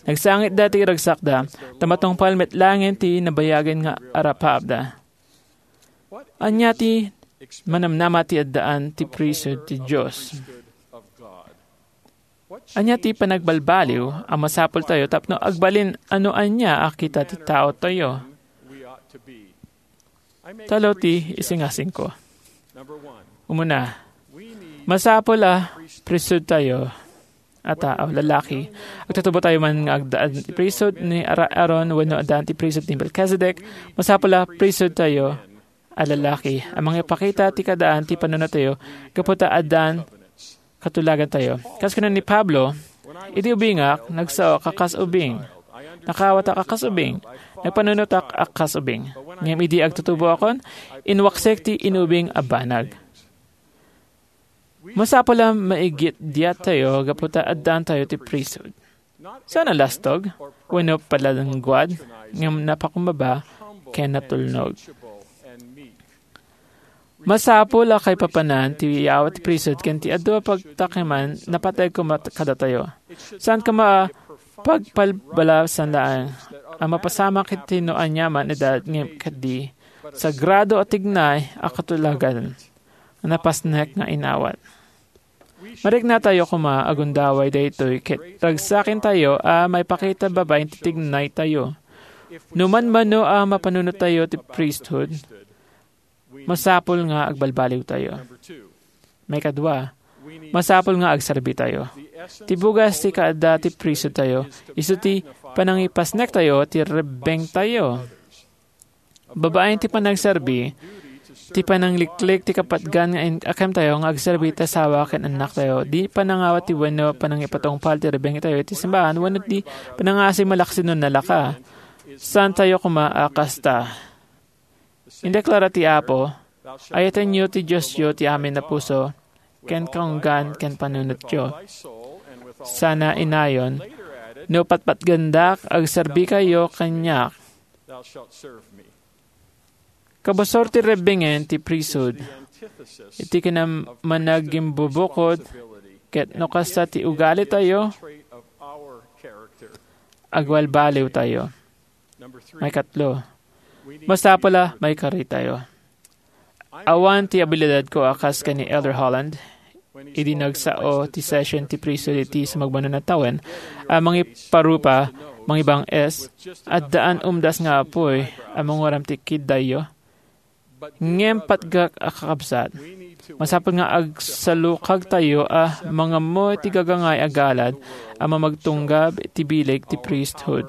Nagsangitda ti ragsakda, ta matungpal met laengen ti nabayagen nga arapaapda. Ania ti manamnama ti addaan ti priesthood ti Dios? Ania ti panagbalbaliw a masapultayo tapno agbalin a no ania a kita ti taotayo? Tallo ti isingasingko. Umuna, masapul a priesthoodtayo a tao, lalaki. Agtutubo tayo man nga agdaan ti priesthood ni Ara-, Aaron wenno addaan ti priesthood ni Melchizedek, masapul a priesthoodtayo a lalaki a mangipakita ti kaadaan ti panunotayo gapu ta addaan katulagantayo. Kas kuna ni Pablo, "Idi ubingak, nagsaok a kas ubing. Nakaawatak a kas ubing. Nagpanunotak a kas ubing. Ngem idi agtutuboakon, inwaksek ti inubing a banag." Masapul a maigitdiattayo gapu ta addaantayo ti priesthood. Saan a lastog wenno palangguad, ngem napakumbaba ken natulnog. Masapul a kaipapanan ti yawa ti priesthood ken ti adu a pagtakeman napateg koma kadatayo. Saan koma a pagpalbalasan laeng a mapasamak iti no aniaman edad ngem ket di sagrado a tignay a katulagan nga napasnek nga inawat. Mariknatayo koma a gundaway daytoy ket ragsakentayo a maipakita babaen ti tignaytayo. No manmano a mapanunottayo ti priesthood, masapul nga agbalbaliwtayo. Maikadua, masapul nga agserbitayo. Ti bugas ti kaadda ti priesthoodtayo, isu ti panangipasnektayo ti rebbengtayo. Babaen ti panagserbi, ti panangliklik ti kapatgan nga in-, akemtayo nga agserbi ti asawa ken annaktayo, di panangawat ti wenno panangipatungpal ti rebbengtayo iti simbahan, wenno ti panangasi malaksid no nalaka. Saantayo koma a kasta. Indeklara ti Apo, "Ayatenyo ti Diosyo ti amin a puso, ken kaunggan ken panunotyo." Sana inayon, "No patpatgendak, agserbikayo kaniak." Kabusor ti rebbengen ti priesthood iti kinamanagimbubukod, ket no kasta ti ugalitayo, agbalbaliwtayo. Maikatlo, masapul a maikaritayo. Awan ti abilidadko a kas ken ni Elder Holland, idi nagsao ti session ti priesthood iti sumagmamano a tawen, a mangiparupa, mangibang-es, addaan umdas nga apuy a manguram ti kiddayyo. Ngem patgak a kakabsat, masapul nga agsalukagtayo a mangammo iti gagangay a galad a mamagtunggab iti bileg ti priesthood.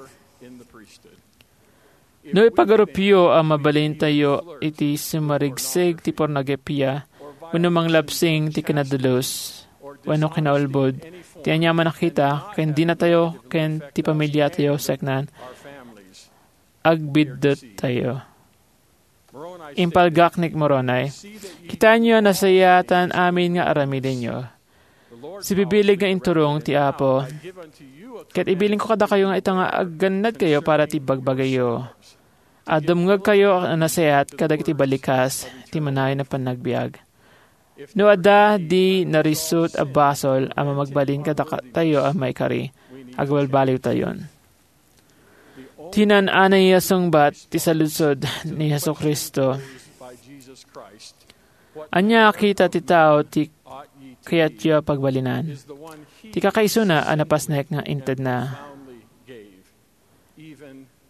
No ipagarupyo a mabalintayo iti sumarigseg ti pornografia wenno manglabsing ti kinadulus wenno kinaulbod ti aniaman a kita ken dinatayo ken ti pamiliatayo seknan, agbiddettayo. Impalgak ni Moroni, "Kitaenyo a nasayaatan amin nga aramidenyo. Sibibileg nga inturong ti Apo, ket ibilingko kadakayo nga ita nga aggannadkayo para ti bagbagayo. A dumngegkayo a nasayaat kadagiti balikas ti manayon a panagbiag. No adda di narisut a basol a mamagbalin kadatayo a maikari, agbalbaliwtayon." Tinan-anay a sungbat ti saludsod ni Jesu-Cristo. Ania a kita ti tao ti kayatyo a pagbalinan? Ti kakaisuna a napasnek nga intedna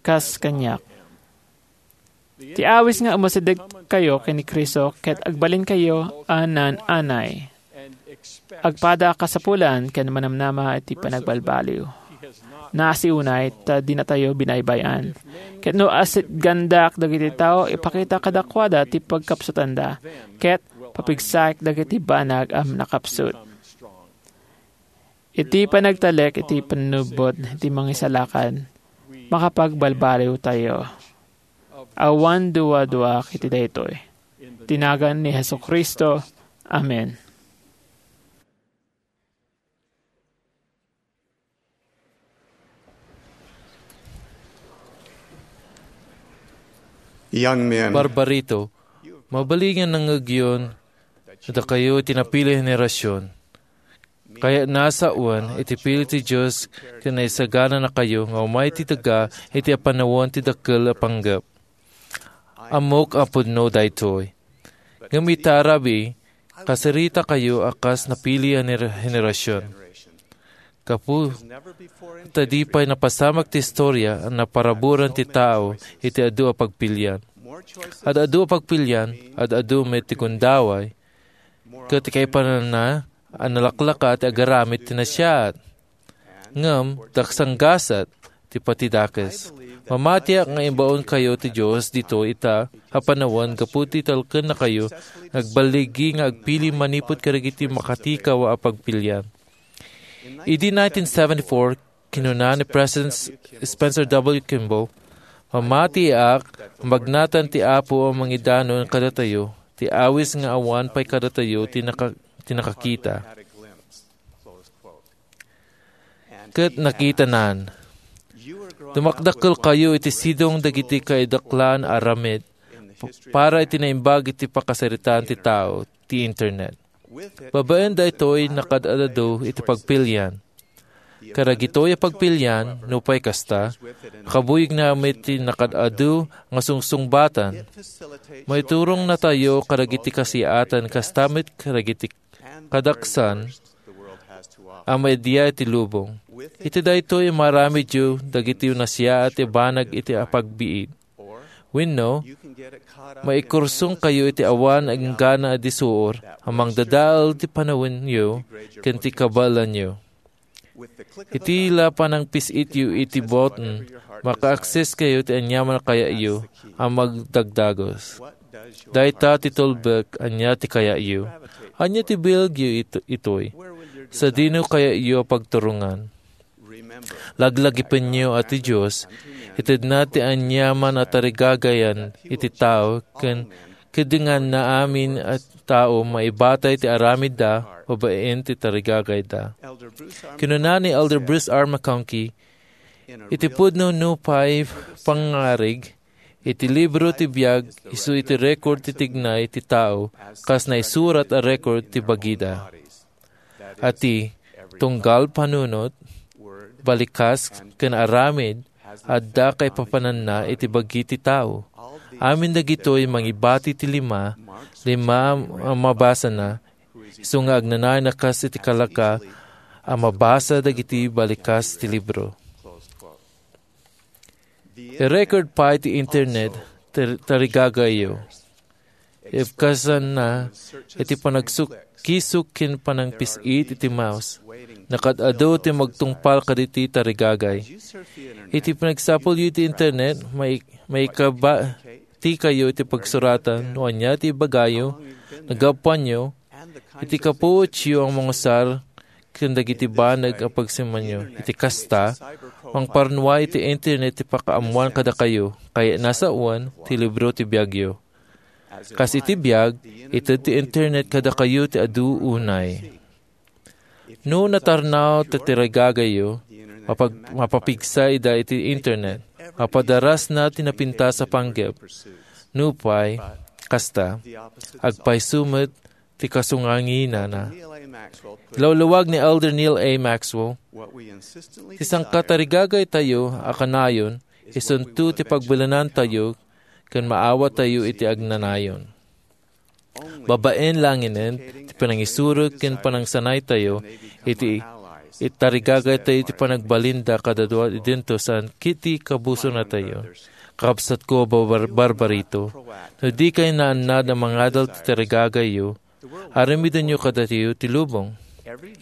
kas kaniak. Ti awis nga umasidegkayo ken ni Cristo ket agbalinkayo a naan-anay. Agpada a kasapulan ken manamnama iti panagbalbaliw. Naasi unay ta dinatayo binaybay-an. Ket no asitgandak dagiti tao, ipakita kadakuada ti pagkapsutanda, ket papigsaek dagiti banag a nakapsut. Iti panagtalek iti pannubbot iti mangisalakan, makapagbalbaliwtayo. Awan duaduaak iti daytoy. Ti nagan ni Jesu-Cristo. Amen. Young men. Barbarito, mabalin nga nangngegyon dakayo iti napili a henerasyon. Kayatna a sawen iti pili ti Dios ken naisagananakayo nga umay iti daga iti apanawen ti dakkel a panggep. Ammok a pudno daytoy. Ngem ita a rabii, kasiritakayo a kas napili a ner-, henerasyon. Gapu ta di pay napasamak ti istoria a naparaburan ti tao iti adu a pagpilian. Ad-adu a pagpilian, ad-adu met ti gundaway, ket ti kaipananna a nalaklaka ti agaramid ti nasayaat. Ngem daksanggasat ti patidakes. Mamatiak nga imbaonkayo ti Dios ditoy ita a panawen gapu ti talkennakayo nga agballigi nga agpili manipud kadagiti makatikaw a pagpilian. Idi nineteen seventy-four, kinuna ni President S-, Spencer W. Kimball, "Mamatiak, magnatan ti Apo a mangidanon kadatayo, ti awis nga awan pay kadatayo ti naka-, ti nakakita." Ket nakitanan. Dumakdakkelkayo iti sidong dagiti kaidaklan a aramid p-, para iti naimbag iti pakasaritaan ti tao, ti Internet. Babaen daytoy, nakaad-adu iti pagpilian. Kadagitoy a pagpilian, nupay kasta, kabuyogna met ti nakaad-adu nga sungsungbatan. Maiturongna tayo kadagiti kasiyaatan kasta met kadagiti kadaksan a maidiay ti lubong. Iti daytoy, maaramidyo dagiti nasiyaat a banag iti apagbiit. Wenno, maikursongkayo iti awan a inggana a disuor a mangdadael ti panawenyo ken ti kabaelanyo. Iti la panangpis-ityo iti button, maka-access kayo ti aniaman a kayatyo a magdagdagus. Dayta ti tulbek, ania ti kayatyo? Ania ti biagyo ito-, itoy? Sadino kayatyo a pagturongan? Laglagipenyo a ti Dios, itedna ti aniaman a tarigagayan iti tao ken keddenganna amin a tao maibatay ti aramidda babaen ti tarigagayda. Kinuna ni Elder Bruce R. McConkie, iti pudno nupay pangngarig, iti libro ti biag isu iti record ti tignay ti tao kas naisurat a record ti bagida. Iti tunggal panunot, balikas ken aramid, adda kaipapananna iti bagi ti tao. Amin dagitoy mangibati ti lima, lima a mabasana, isu nga agnanayon a kas iti kalaka a mabasa dagiti balikas ti libro. I-record pay ti internet ti tarigagayyo. Ibkasanna iti panagsukisuk ken panangpis-it iti mouse. Nakaad-adu ti magtungpal kaditi tarigagay. Iti panagsapulyo iti internet, mai-, maikabati kayo iti pagsuratan no ania ti ibagayo, nagapuanyo, iti kapuotyo a mangusar ken dagiti banag a pagsimanyo. Iti kasta, mangparnua iti internet ti pakaammoan kadakayo, kayatna sawen ti libro ti biagyo. Kas iti biag, ited ti internet kadakayo ti adu unay. No natarnaw ti tarigagayyo, mapag-, mapapigsa ida iti internet. Mapadarasna ti napintas a panggep. Nupay kasta, agpayso met ti kasunganginana. Ilawlawag ni Elder Neal A. Maxwell, ti sangkatarigagaytayo a kanayon, isunto ti pagbalinantayo ken maawatayo iti agnanayon. Babaen langinen ti panangisurek ken panangsanaytayo iti itarigagaytayo iti panagbalinda kadadua idinto saan iti kabusonatayo. Kabsatko a bar-, barbarito, no dikay naannad a mangadal ti tarigagayyo, aramidenyo kadatayo ti lubong.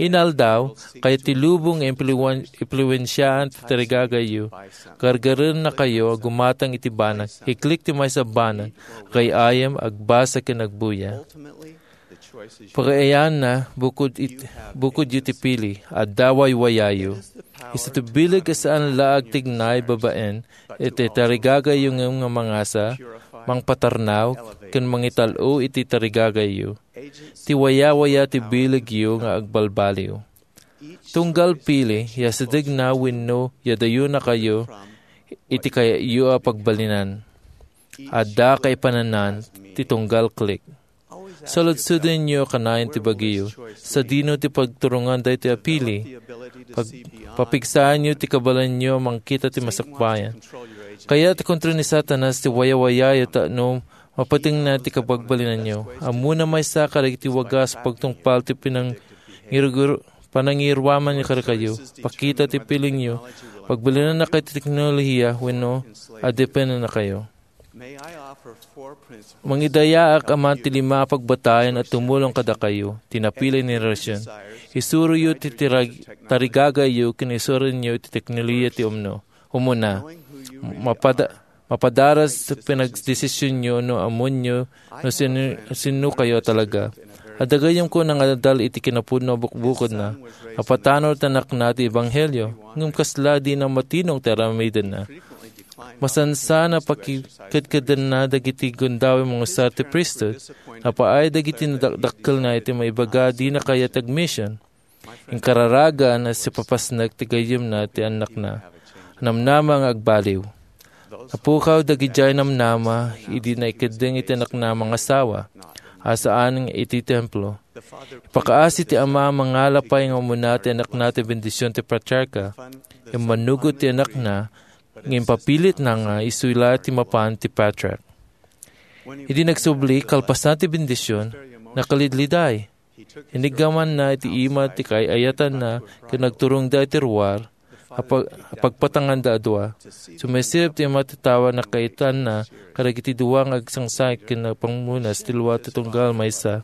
Inaldaw, kayat ti lubong nga impluwen-, impluwensiaan ti tarigagayyo. Gargarennakayo a gumatang iti banag, iklik ti maysa a banag, agay-ayam, agbasa ken agbuya. Pagayaanna, bukod it-, bukodyo ti pili, adda waywayayo. Isu ti bileg a saan la agtignay babaen iti tarigagayyo ngem nga mangasa, mangpatarnaw, ken mangital-o iti tarigagayyo. Ti wayawaya ti bilegyo nga agbalbaliw. Tunggal pili, ya sidegna wenno ya dayonakayo iti kayatyo a pagbalinan. Adda kaipapanan ti tunggal klik. Saludsudenyo kanayon ti bagiyo. Sadino ti pagturongan daytoy a pili? Pag-, papigsaanyo ti kabaelanyo a mangkita ti masakbayan. Kayat ti kontrol ni Satanas ti wayawayayo tapno mapatengna ti kabagbalinanyo. Ammona maysa kadagiti wagas a pagtungpal ti pinangiruguru-, panangiruaman kadakayo. Pakita ti pilingyo. Pagbalinannakayo ti teknolohiya wenno adepennakayo. Mangidayaak a man ti lima a pagbatayan a tumulong kadakayo ti napili a henerasyon. Isuroyo ti tirag-, tarigagayyo ken isurenyo ti teknolohiya ti umno. Umuna, mapada-, mapadaras ti panagdesisyonyo no ammoenyo no sino, sino kayo talaga. Adda gayyemko nga adal iti kinapudno a bukbukodna. Napatanor ti anakna ti ebanghelio, ngem kasla dina matinong ti aramidenna. Masansan a pakikedkedanna dagiti gundaway a mangusar ti priesthood. Napaay dagiti nadakdakkelna iti maibaga a dina kayat ti agmission. Inkararagan a sipapasnek ti gayyemna ti annakna. Namnama nga agbaliw. Napukaw dagidiay namnama idi naikeddeng iti annakna a mangasawa, a saan nga iti templo. Ipakaasi ti ama a mangala pay nga umuna ti anakna ti bendision ti patriarka. Immanugot ti anakna, ngem papilitna nga isula ti mapan ti patriark. Idi nagsubli, kalpasan ti bendision, nakalidliday. Iniggamanna iti ima ti kaay-ayatanna ken nagturongda iti ruar a pag-, a pagpatanganda a dua. Sumaisip ti ima ti tawa a nakaitanna kadagiti dua nga agsangsangi ken nagpamunas ti lua ti tunggal maysa.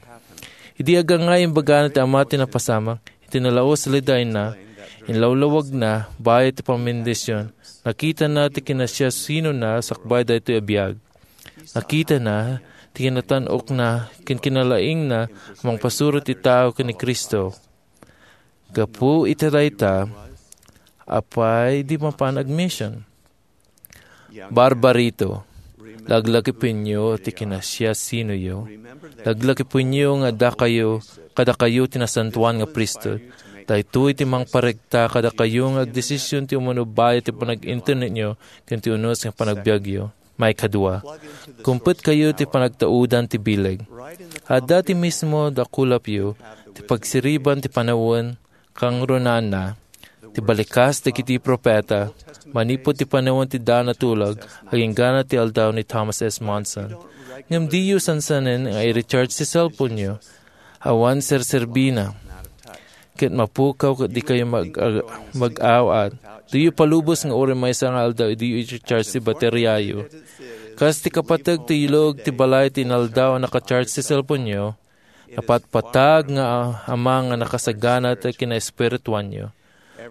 Idi agangay, imbagana ti ama ti napasamak, iti nalaus a lidayna, inlawlawagna, bayat ti pammendision. Nakitana ti kinasiasinona sakbay daytoy a biag. Nakitana ti kinatan-okna ken kinalaingna a mangpasuro ti tao ken ni Cristo. Gapu iti dayta, apay di mapan agmission? Barbarito, laglagipenyo ti kinasiasinoyo. Laglagipenyo nga addakayo, kadakayo ti nasantoan nga priesthood. Daytoy ti mangparegta kadakayo nga agdesision ti umano bayat ti panag-internetyo ken ti unos nga panagbiagyo. Maikadua, kumpetkayo ti panagtaudan ti bileg. Adda ti mismo dakulapyo ti pagsiriban ti panawen, kangrunaanna, ti balikas dagiti profeta, manipud ti panawen ti daan a tulag, agingga ti aldaw ni Thomas S. Monson. Ngem diyo sansanen nga i-recharge ti cellphone-yo. Awan serserbina. Ket mapukaw ket dikayo mag-, ag-, mag-aw-at. Diyo palubos nga uray maysa nga aldaw, diyo i-charge ti bateriayo. Kas ti kapateg ti ilog ti balay ti inaldaw a naka-charge ti cellphone-yo, napatpatag nga ama nga nakasagana ti kinaespirituanyo.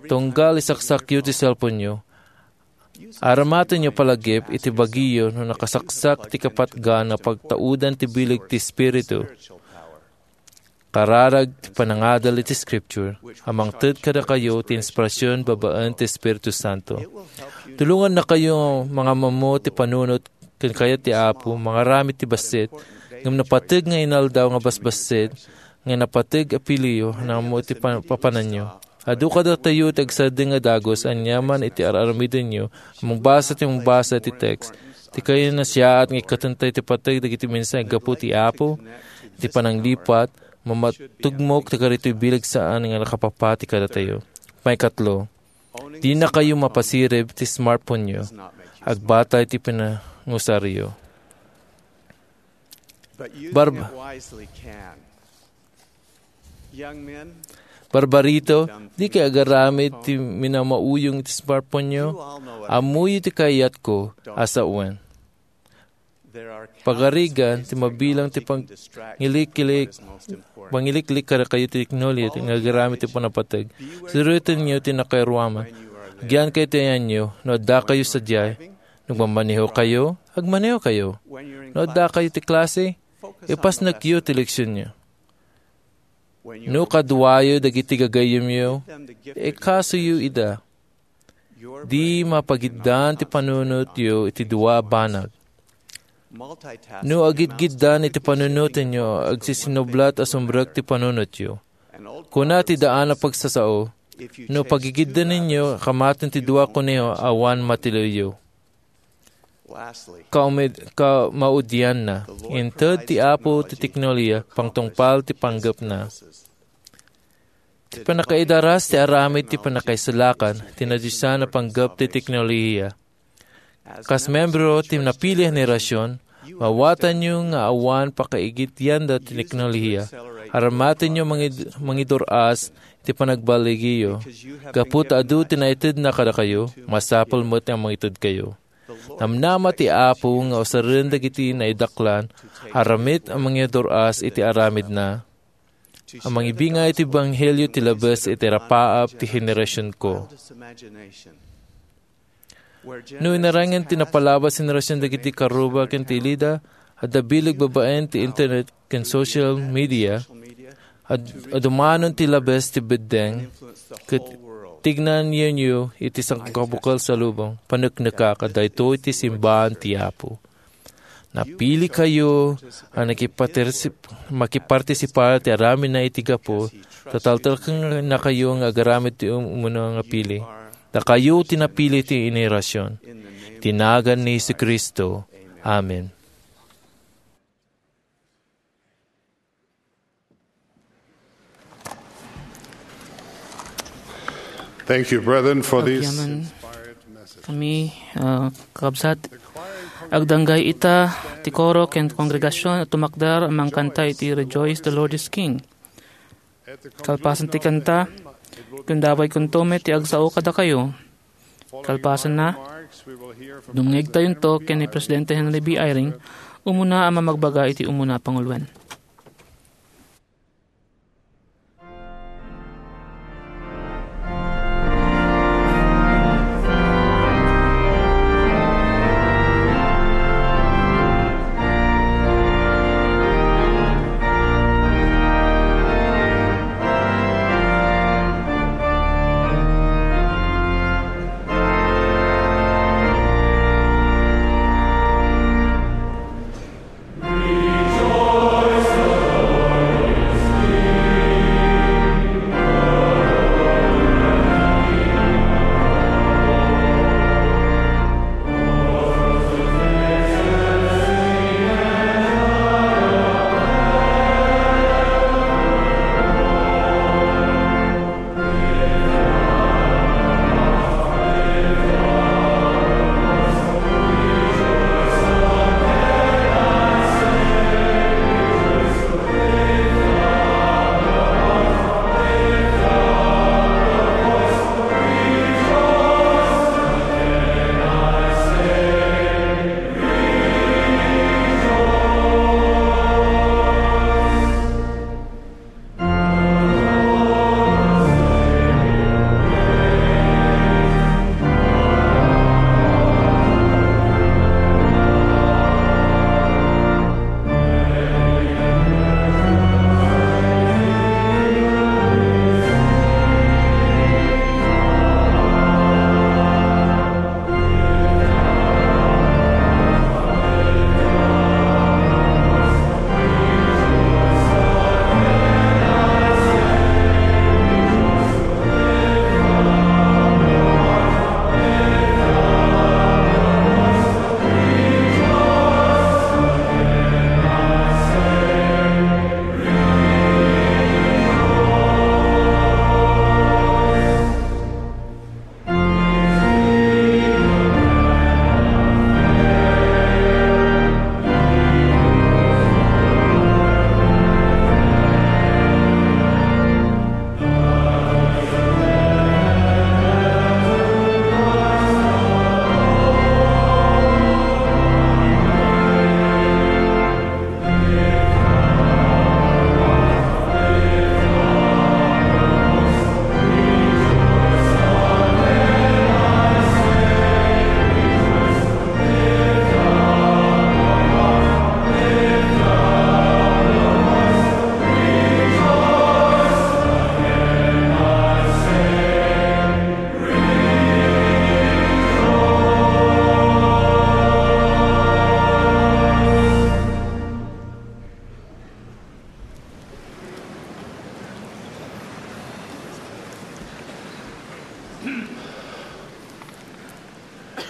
Tunggal isaksakyo ti cellphone-yo. Aramatenyo palagip iti bagiyo no nakasaksak ti kapatgan nga pagtaudan ti bileg ti Espiritu. Kararag ti panangadal iti Scripture a mangted kadakayo ti inspirasyon babaen ti Espiritu Santo. Tulongannakayo nga mangamammo ti panunot ken kayat ti Apo, mangaramid ti bassit, ngem napateg nga inaldaw nga basbassit, nga napateg a piliyo, nammo ti pa-, papananyo. Adu kadatayo ti agsadeng nga dagus aniaman iti ar-aramidenyo, mangbasa ti mangbasa ti text. Ti kayo nasiaat nga ikkatentayo ti pateg dagiti mensahe gapu ti Apo, ti pananglipat, mamatugmok ti karitoy bileg saan nga nakapapati kadatayo. Maikatlo, dinakayo mapasirib ti smartphone-yo. Agbatay ti pinangusaryo. Barb-, Barbarito, dikay agaramid ti minamauyong ti smartphone-yo? Ammoyo ti kayatko a sawen. Pagarigan ti mabilang ti pangilikilik-, pangiliklik kadakayo ti teknolohiya nga agaramid ti panapateg. Surotenyo ti nakairuaman. Agyannakayo ti ayanyo no addakayo sadiay. Nagmamaneho kayo, agmaneho kayo. No addakayo ti klase, ipasnekyo ti leksionyo. No kaduayo dagiti gagayyemyo, ikasoyo ida. Di mapagiddan ti panunotyo iti dua a banag. No agidgiddan iti panunotenyo, agsisinublat a sumrek ti panunotyo. Kuna ti daan a pagsasao, no pagigiddanenyo, kamaten ti dua a koneho awan matiliwyo. Kaumid-, kamaudianna, inted ti Apo ti teknolohiya, pangtungpal ti panggepna. Ti pannakaidaras ti aramid ti pannakaisalakan ti nadiosan a panggep ti teknolohiya. Kas membro ti napili a henerasyon, maawatanyo nga awan pakaigiddianda ti teknolohiya. Aramatenyo mangid-, mangidur-as ti panagbaligiyo. Gapu ta adu ti naitedna kadakayo, masapul met nga mangitedkayo. Namnama ti Apo nga usaren dagiti naidaklan, aramid a mangidur-as iti aramidna, a mangibinga iti ebanghelio ti labes iti rapaap ti henerasionko. No inarangen ti napalabas henerasion dagiti karuba ken ti ilida, adda bileg babaen ti internet ken social media, ad-, adumanon ti labes ti beddeng, ket tignanenyo iti sangkabukel a lubong, paneknekak a daytoy ti simbaan ti Apo. Napilikayo a nakipatersip-, makipartisipar ti aramidna iti gapu, ta taltalkennakayo nga agaramid ti um-, umuna nga pili. Dakayo ti napili ti henerasion. Ti nagan ni Jesu-Cristo. Amen. Thank you, brethren, for these Agyaman inspired messages. Kami, ah, kakabsat. Agdanggay ita ti koro ken kongregasion a tumakder a mangkanta iti Rejoice, the Lord is King. Kalpasan ti kanta, gundawaykonto met ti agsao kadakayo. Kalpasanna, dumngegtayonto ken ni Presidente Henry B. Eyring, umuna a mamagbaga iti umuna a panguloen.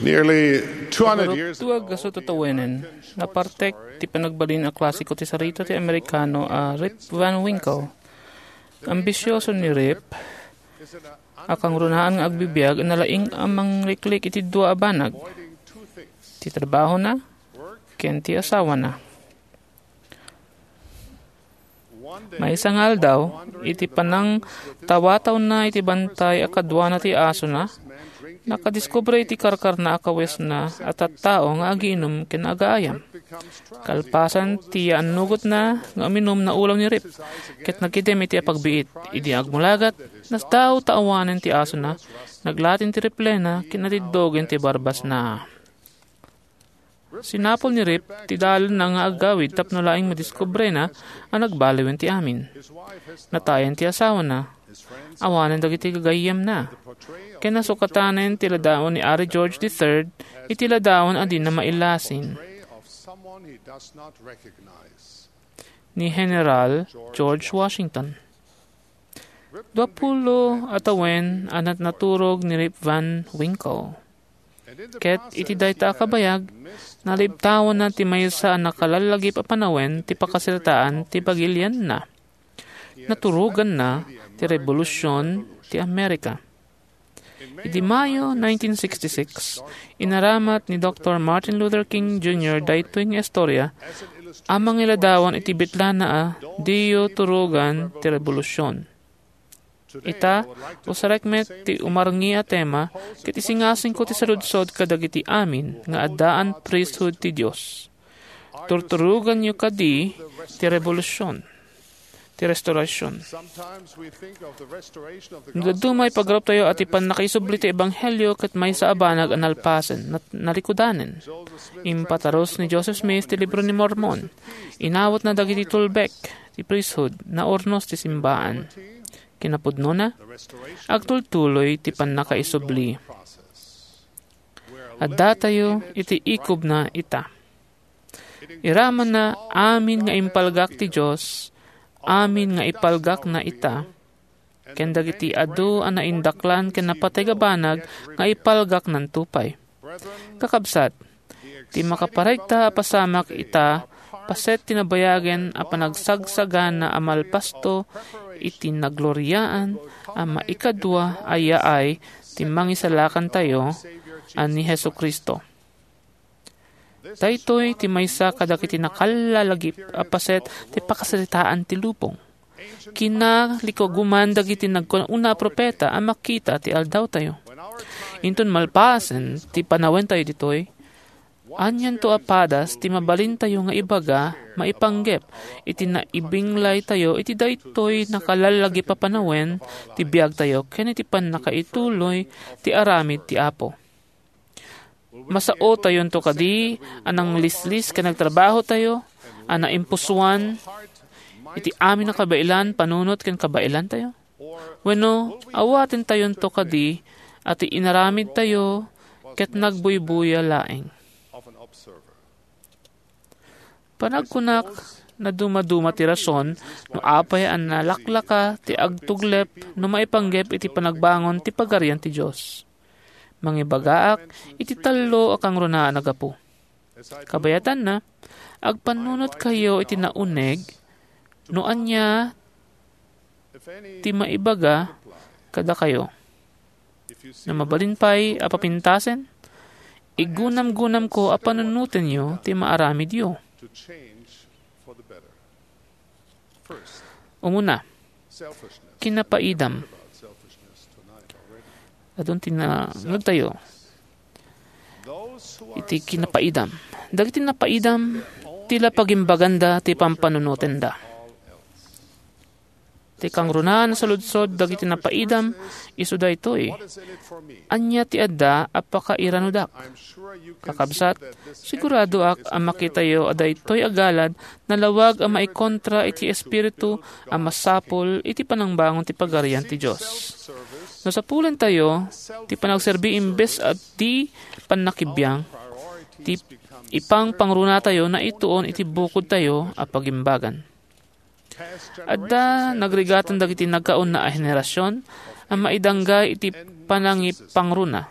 Nearly two hundred years ago, tuag a tawen, napartek ti panagbalin a klasiko ti sarita ti Amerikano a Rip Van Winkle. Ambisioso ni Rip a kangrunaan nga agbibiag a nalaing a mangliklik iti dua a banag, ti trabahona ken ti asawana. Maysa nga aldaw, iti panangtawatawna iti bantay a kaduana ti asona, nakadiskubre iti karkarna a kawesna a tattao nga agiinum ken agaayam. Kalpasan ti yaannugotna nga uminum, naulaw ni Rip ket nagidem iti apagbiit. Idi agmulagat, nasdaaw ta awanen ti asona, naglatin ti riflena ken natiddogen ti barbasna. Sinapul ni Rip ti dalanna nga agawid tapno laeng madiskubrena a nagbaliwen ti amin. Natayen ti asawana. Awanen dagiti gagayyemna. Ken nasukatanen ti ladaon ni Ari George the third iti ladaon a dina mailasin. Ni General George Washington. Duapulo a tawen a natnaturog ni Rip Van Winkle. Ket iti dayta a kabayag, nalibtawanna ti maysa a nakalallagip a panawen ti pakasaritaan ti pagilianna. Naturoganna ti Rebolusion ti Amerika. Idi Mayo nineteen sixty-six, inaramat ni Doktor Martin Luther King Junior daytoy nga istorya a mangiladawan iti bitlana a "Diyo Turugan ti Rebolusion." Ita, usarek met ti umarngi a tema ket isingasingko ti saludsod kadagiti amin nga addaan priesthood ti Dios. Turturuganyo kadi ti rebolusion, ti restorasion. No dadduma, ipagaruptayo a ti pannakaisubli ti ebanghelio ket maysa a banag a nalpasen, nat-, nalikudanen. Impatarus ni Joseph Smith ti Libro ni Mormon. Inawatna dagiti tulbek ti priesthood, naurnos ti simbaan. Kinapudnona, agtultuloy ti pannakaisubli. Addatayo iti ikubna ita. Iramanna amin nga impalgak ti Dios, amin nga ipalgakna ita, ken dagiti adu a naindaklan ken napateg a banag nga ipalgaknanto pay. Kakabsat, ti makaparegta a pasamak ita paset ti nabayagen a panagsagsagana a malpasto iti nagloriaan a maikadua a yaay ti Mangisalakantayo a ni Jesu-Cristo. Daytoy ti maysa kadagiti nakallalagip a paset ti pakasaritaan ti lubong. Kinalikuguman dagiti nagkuna-una a profeta a makita ti aldawtayo. Inton malpasen ti panawentayo ditoy, anianto a padas ti mabalintayo nga ibaga maipanggep iti naibinglaytayo iti daytoy nakallalagip a panawen ti biagtayo ken iti pannakaituloy ti aramid ti Apo? Masaotayonto kadi a nanglislis ken nagtrabahotayo a naimpusoan iti amin a kabaelan, panunot ken kabaelantayo? Wenno, awatentayonto kadi a ti inaramidtayo ket nagbuybuya laeng? Panagkunak, nadumaduma ti rason no apay a nalaklaka ti agtuglep no maipanggep iti panagbangon ti Pagarian ti Dios. Mangibagaak iti tallo a kangrunaan a gapu. Kabayatanna, agpannunotkayo iti nauneg no ania ti maibaga kadakayo. No mabalin pay a papintasen, iggunamgunamko a panunotenyo ti maaramidyo. Umuna, kinapaidam. Adun ti nangegtayo iti kinapaidam. Dagiti napaidam, ti la pagimbaganda ti pampanunotenda. Ti kangrunaan a saludsod dagiti napaidam, isu daytoy: "Ania ti adda a pakairanodak?" Kakabsat, siguradoak a makitayo a daytoy a galad nalawag a maikontra iti espiritu a masapul iti panangbangon ti Pagarian ti Dios. No sapulentayo ti panagserbi imbes a ti pannakibiang, ti ipangpangrunatayo naituon iti bukodtayo a pagimbagan. Adda nagrigatan dagiti nagkauna a henerasion a maidanggay iti panangipangruna.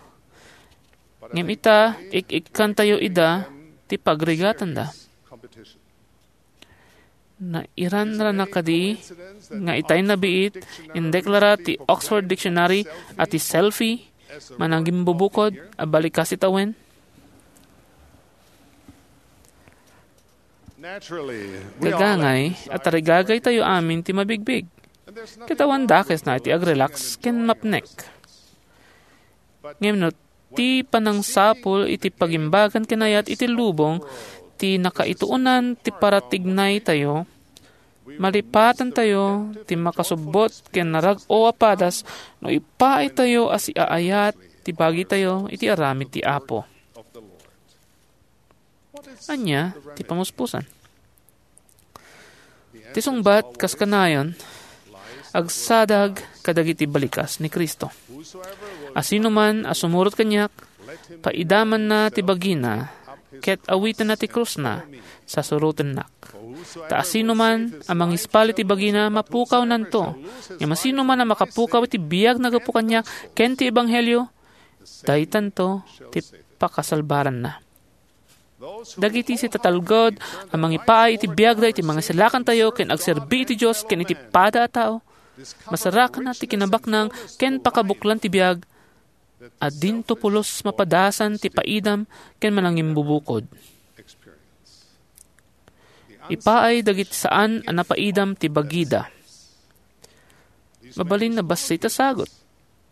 Ngem ita, ik-ikkantayo ida ti pagrigatanda. Nairanrana kadi nga itay nabiit, indeklara ti Oxford Dictionary a ti selfie manangimbubukod a balikas iti tawen? Gagangay a tarigagaytayo amin ti mabigbig. Ket awan dakesna iti agrelax ken mapnek. Ngem no ti panangsapul iti pagimbagan ken ayat iti lubong ti nakaituonan ti paratignaytayo, malipatantayo ti makasubbot ken narag-o a padas no ipaaytayo a siaayat ti bagitayo iti aramid ti Apo. Ania ti pamuspusan? Ti sungbat, kas kanayon, agsadag kadagiti balikas ni Cristo. Asinoman a sumurot kaniak, paidamanna ti bagina, ket awitanna ti krusna, sasurotennak. Ta asinoman a mangispal iti bagina, mapukawnanto. Ngem asinoman a makapukaw iti biag na gapu kaniak ken ti ebanghelio, daytanto ti pakasalbaranna. Dagiti sitatalged a mangipaay iti biagda iti mangisalakantayo ken agserbi iti Dios ken iti pada a tao, masarakanna ti kinabaknang ken pakabuklan ti biag, a dinto pulos mapadasan ti paidam ken manangimbubukod. Ipaay dagiti saan a napaidam ti bagida. Mabalin a bassit a sagut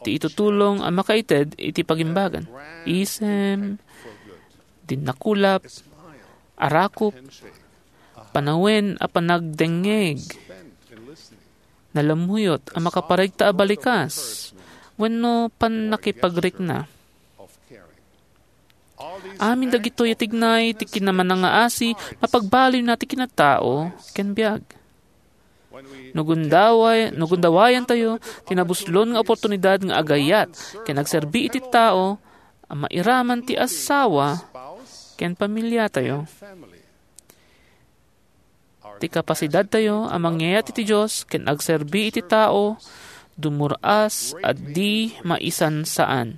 ti itutulong a makaited iti pagimbagan. Isem, dinnakulap, arakop, panawen a panagdengngeg, nalammuyot a makaparigta a balikas, wenno pannakipagrikna. Amin dagitoy a tignay ti kinamanangaasi, mapagbaliwna ti kinatao ken biag. No gundaway-, no gundawayantayo ti nabuslon nga oportunidad nga agayat ken agserbi iti tao a mairaman ti asawa ken pamiliatayo. Ti kapasidadtayo a mangyayat iti Dios ken agserbi iti tao, dumur-as a di maisansaan.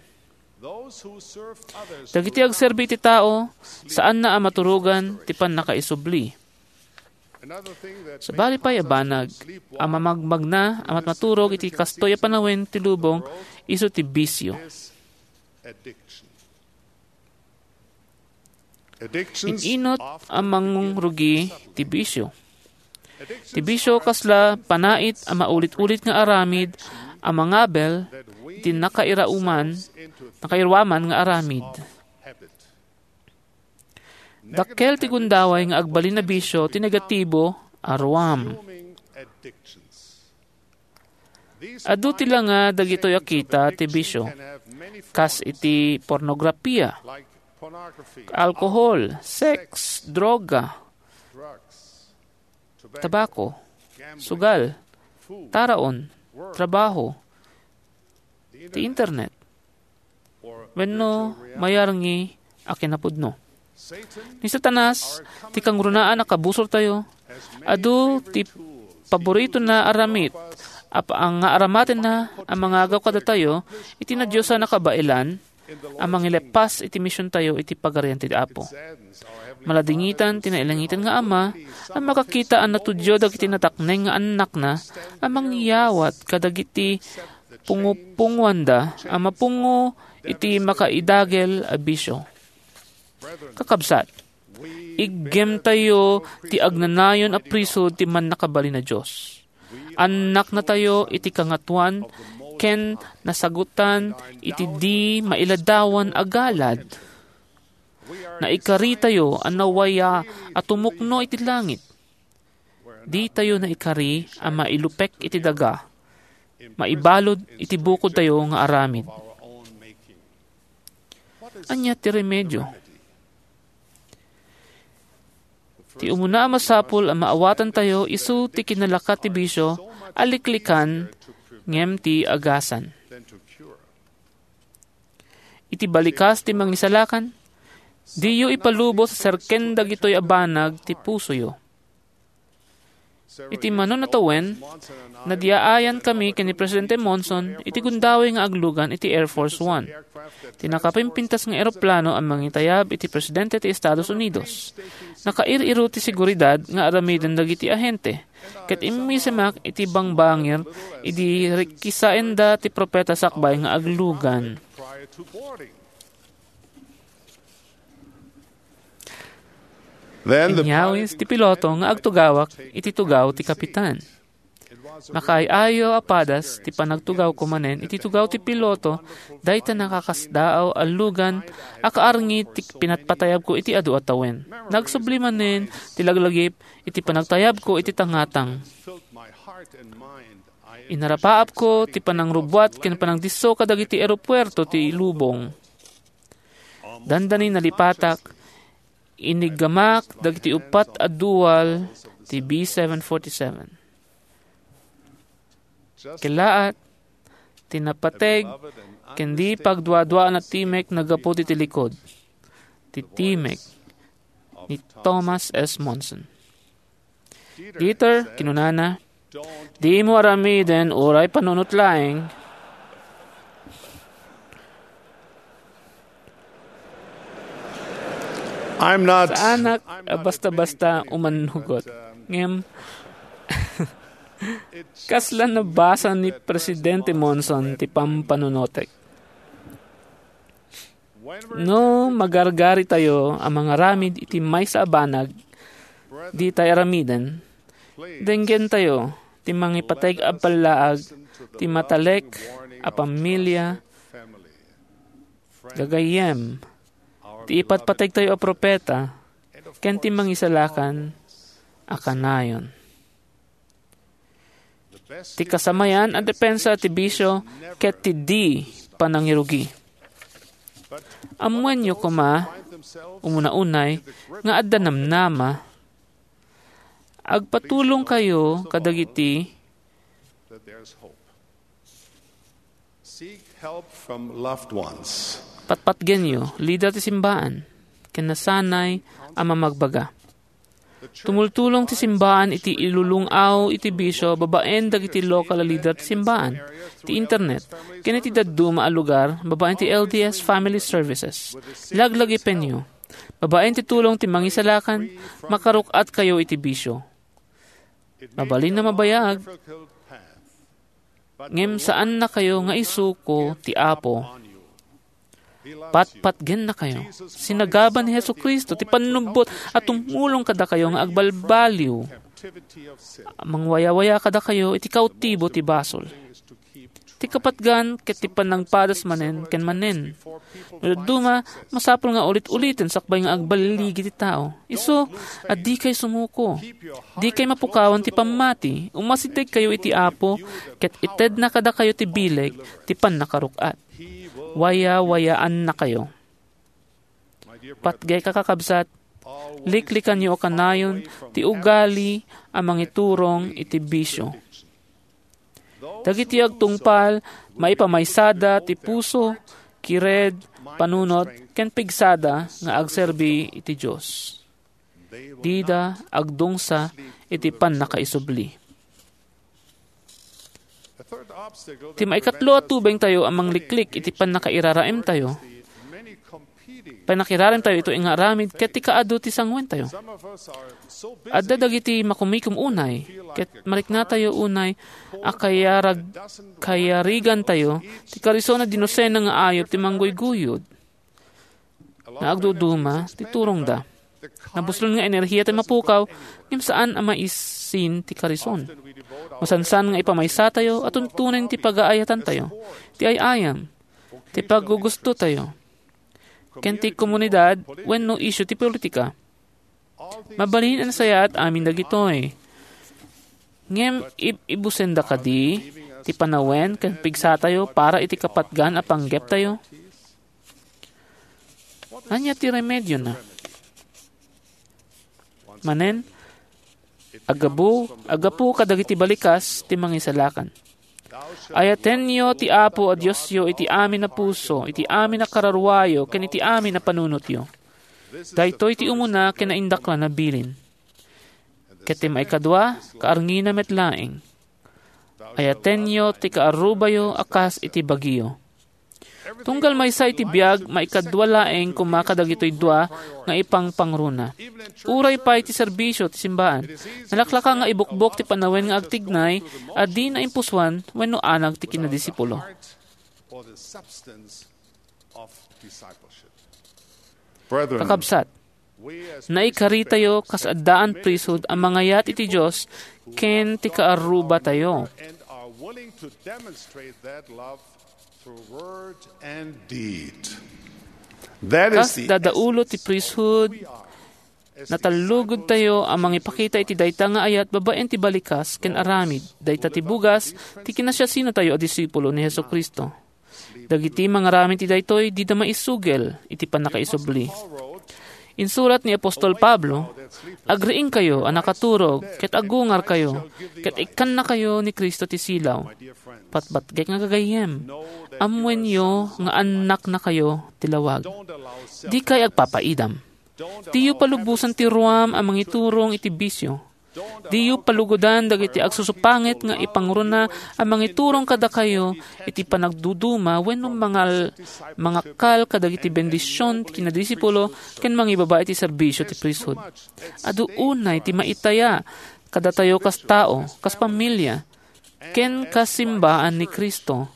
Dagiti agserbi iti tao, saanna a maturogan ti pannakaisubli. Sabali pay a banag a mamagmagna a matmaturog iti kastoy a panawen ti lubong isu ti bisio. In-inut a mangrugi ti bisio. Ti bisio kasla panait a maulit-ulit nga aramid a mangabel iti nakairauman, nakairuaman nga aramid. Dakkel ti gundaway nga agbalin a bisio ti negatibo a ruam. Adu ti langa dagitoy a kita ti bisio, kas iti pornografia, alkohol, sex, droga, tabako, sugal, taraon, trabaho, ti internet, wenno mayarngi a kinapudno. Ni Satanas, ti kangrunaan a kabusortayo, adu ti paboritona a ramit a pa-, nga aramatenna a mangagaw kadatayo iti nadiosan a kabaelan a mangileppas iti misiontayo iti Pagarian ti Apo. Maladingitan ti nailangitan nga Ama a makakita a natudyo dagiti natakneng nga annakna a mangyawat kadagiti pungopungoanda a mapungo iti makaidagel a bisio. Kakabsat, iggemtayo ti agnanayon a priso ti mannakabalin a Dios. Annaknatayo iti kangatoan ken nasagutan iti di mailadawan a galad. Naikaritayo a nawaya a tumukno iti langit. Ditayo naikari a mailupek iti daga, maibalud iti bukodtayo nga aramid. Ania ti remedio? Ti umuna a masapul a maawatantayo isu ti kinalakat ti bisio a liklikan ngem ti agasan. Iti balikas ti mangisalakan, diyo ipalubos a serken dagitoy a banag ti pusoyo. Iti manon a tawen, nadiaayan kami ken ni Presidente Monson iti gundaway nga aglugan iti Air Force One. Ti nakapimpintas nga eroplano a mangitayab iti presidente ti Estados Unidos. Nakair-iro ti seguridad nga aramiden dagiti ahente, ket immisemak iti bangbangir idi rikisaenda ti propeta sakbay nga aglugan. Then the Inyawis ti piloto nga agtugawak iti tugaw ti kapitan. Makaay-ayo a padas ti panagtugawko manen iti tugaw ti piloto, dayta nakakasdaaw a lugan a kaarngi ti pinatpatayabko iti adu a tawen. Nagsubli manen ti laglagip iti panagtayabko iti tangatang. Inarapaapko ti panangrubbuat ken panangdisso kadagiti eropuerto ti lubong. Dandani nalipatak, iniggamak dagiti uppat a dual ti B seven forty-seven. Kellaat ti napateg ken di pagduaduaan a timek naggapu iti likod ti timek ni Thomas S. Monson. "Dieter," kinunana, "dimo aramiden uray panunot laeng." I'm not Saanak a basta-basta umannugot. Ngem, kasla nabasa ni Presidente Monson ti pampanunotek. No magargaritayo a mangaramid iti maysa a banag, ditay aramiden, denggentayo ti mangipateg a ballaag ti matalek a pamilya, gagayyem, ti ipatpategtayo a propeta, ken ti mangisalakan a kanayon. Ti kasamayan a depensa ti bisio ket ti di panangirugi. Ammoenyo koma, umuna unay, nga adda namnama. Agpatulongkayo kadagiti Seek help from loved ones. Patpatgenyo, lider ti simbaan, ken nasanay a mamagbaga. Tumultulong ti simbaan iti ilulung-aw iti bisio babaen dagiti lokal a lider ti simbaan, ti internet, ken iti dadduma a lugar babaen ti L D S Family Services. Laglagipenyo. Babaen ti tulong ti mangisalakan, makaruk-atkayo iti bisio. Mabalin a mabayag, ngem saannakayo nga isuko ti Apo. Patpatgennakayo. Sinagaba ni Jesu-Cristo ti pannubbot a tumulong kadakayo nga agbalbaliw. Mangwayawaya kadakayo iti kautibo ti basol. Ti kapatgan ket ti panangpadas manen ken manen. No dadduma, masapul nga ulit-uliten sakbay nga agbaligi ti tao. Isu a dikay sumuko. Dikay mapukawan ti pammati. Umasidegkayo iti Apo, ket itedna kadakayo ti bileg ti pannakaruk-at. Wayawayaannakayo. Patgek a kakabsat, liklikanyo a kanayon ti ugali a mangiturong iti bisio. Dagiti agtungpal, maipamaysada ti puso, kired, panunot, ken pigsada nga agserbi iti Dios. Dida agdungsa iti pannakaisubli. Ti maikatlo a tubengtayo a mangliklik iti pannakairaraemtayo, pannakiraremtayo itoy nga aramid ket ti kaadu ti sanguentayo. Adda dagiti makumikom unay, ket mariknatayo unay a kayarag-, kayarigantayo ti karison a dinosena nga ayup ti mangguyguyod. Nga agduduma ti turongda. Nabuslon nga enerhiya ti mapukaw, ngem saan a maisin ti karison. Masansan nga ipamaysatayo a tuntunen ti pagaayatantayo, ti ay-ayam, ti paggugustotayo, ken ti komunidad wenno isyu ti politika. Mabalin a nasayaat amin dagitoy. Ngem ib-, ibusenda kadi ti panawen ken pigsatayo para iti kapatgan a panggeptayo? Ania ti remediona? Manen, aggapu, aggapu kadagiti balikas ti mangisalakan. Ayatenyo ti Apo a Diosyo iti amin a puso, iti amin a kararuayo, ken iti amin a panunotyo. Daytoy ti umuna ken naindaklan a bilin. Ket ti maikadua, kaarngina met laeng. Ayatenyo ti kaarrubayo a kas iti bagiyo. Tunggal maysa iti biag, maikadua laeng koma kadagitoy dua nga ipangpangruna. Uray pay ti serbisio ti simbaan, nalaklaka nga ibukbok ti panawen nga agtignay a di naimpusoan wenno anag ti kinadisipulo. Kakabsat, naikaritayo kas addaan priesthood a mangayat iti Dios ken ti kaarrubatayo. And are willing to demonstrate that love through word and deed. That is Kas the dadaulo ti priesthood, natallugudtayo a mangipakita iti dayta nga ayat babaen ti balikas ken aramid. Dayta ti bugas ti kinasiasinatayo a disipulo ni Jesu-Cristo. Dagiti mangaramid ti daytoy, dida maisugel iti pannakaisubli. Insurat ni apostol Pablo, "Agriingkayo a nakaturog ket agungarkayo, ket ikkannakayo ni Cristo ti silaw." Patpatgek nga gagayyem, ammoenyo nga annaknakayo ti lawag. Dikay agpapaidam. Diyo palubosan ti ruam a mangiturong iti bisio. Diyo palugodan dagiti agsusupangit nga ipangruna a mangiturong kadakayo iti panagduduma wenno mangal-, mangakal kadagiti bendision ti kinadisipulo ken mangibaba iti serbisio ti priesthood. Adu unay ti maitaya kadatayo kas tao, kas pamilia, ken kas simbaan ni Cristo.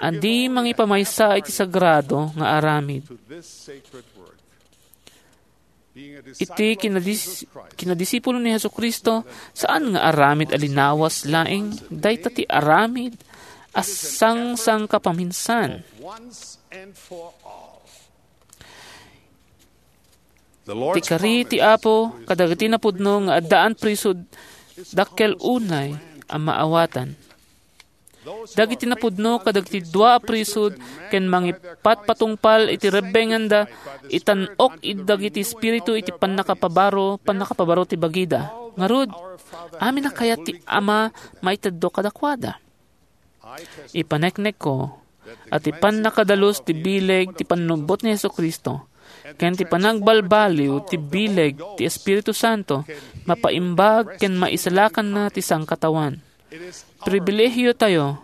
a di mangipamaysa iti sagrado nga aramid. Iti kinadis-, kinadisipulo ni Jesu-Cristo, saan nga aramid a linawas laeng, dayta ti aramid a sangsangkapaminsan. Ti kari ti Apo kadagiti napudno nga addaan prisod dakkel unay a maawatan. Dagiti napudno kadagiti dua a prisod ken mangipatpatungpal iti rebbenganda, itan-ok id dagiti espiritu iti pannakapabaro, pannakapabaro ti bagida. Ngarud, amin a kayat ti Ama maiteddo kadakuada. Ipaneknekko a ti pannakadalus ti bileg ti pannubbot ni Jesu-Cristo ken ti panagbalbaliw ti bileg ti Espiritu Santo mapaimbag ken maisalakanna ti sangkataoan. Pribilehiyo tayo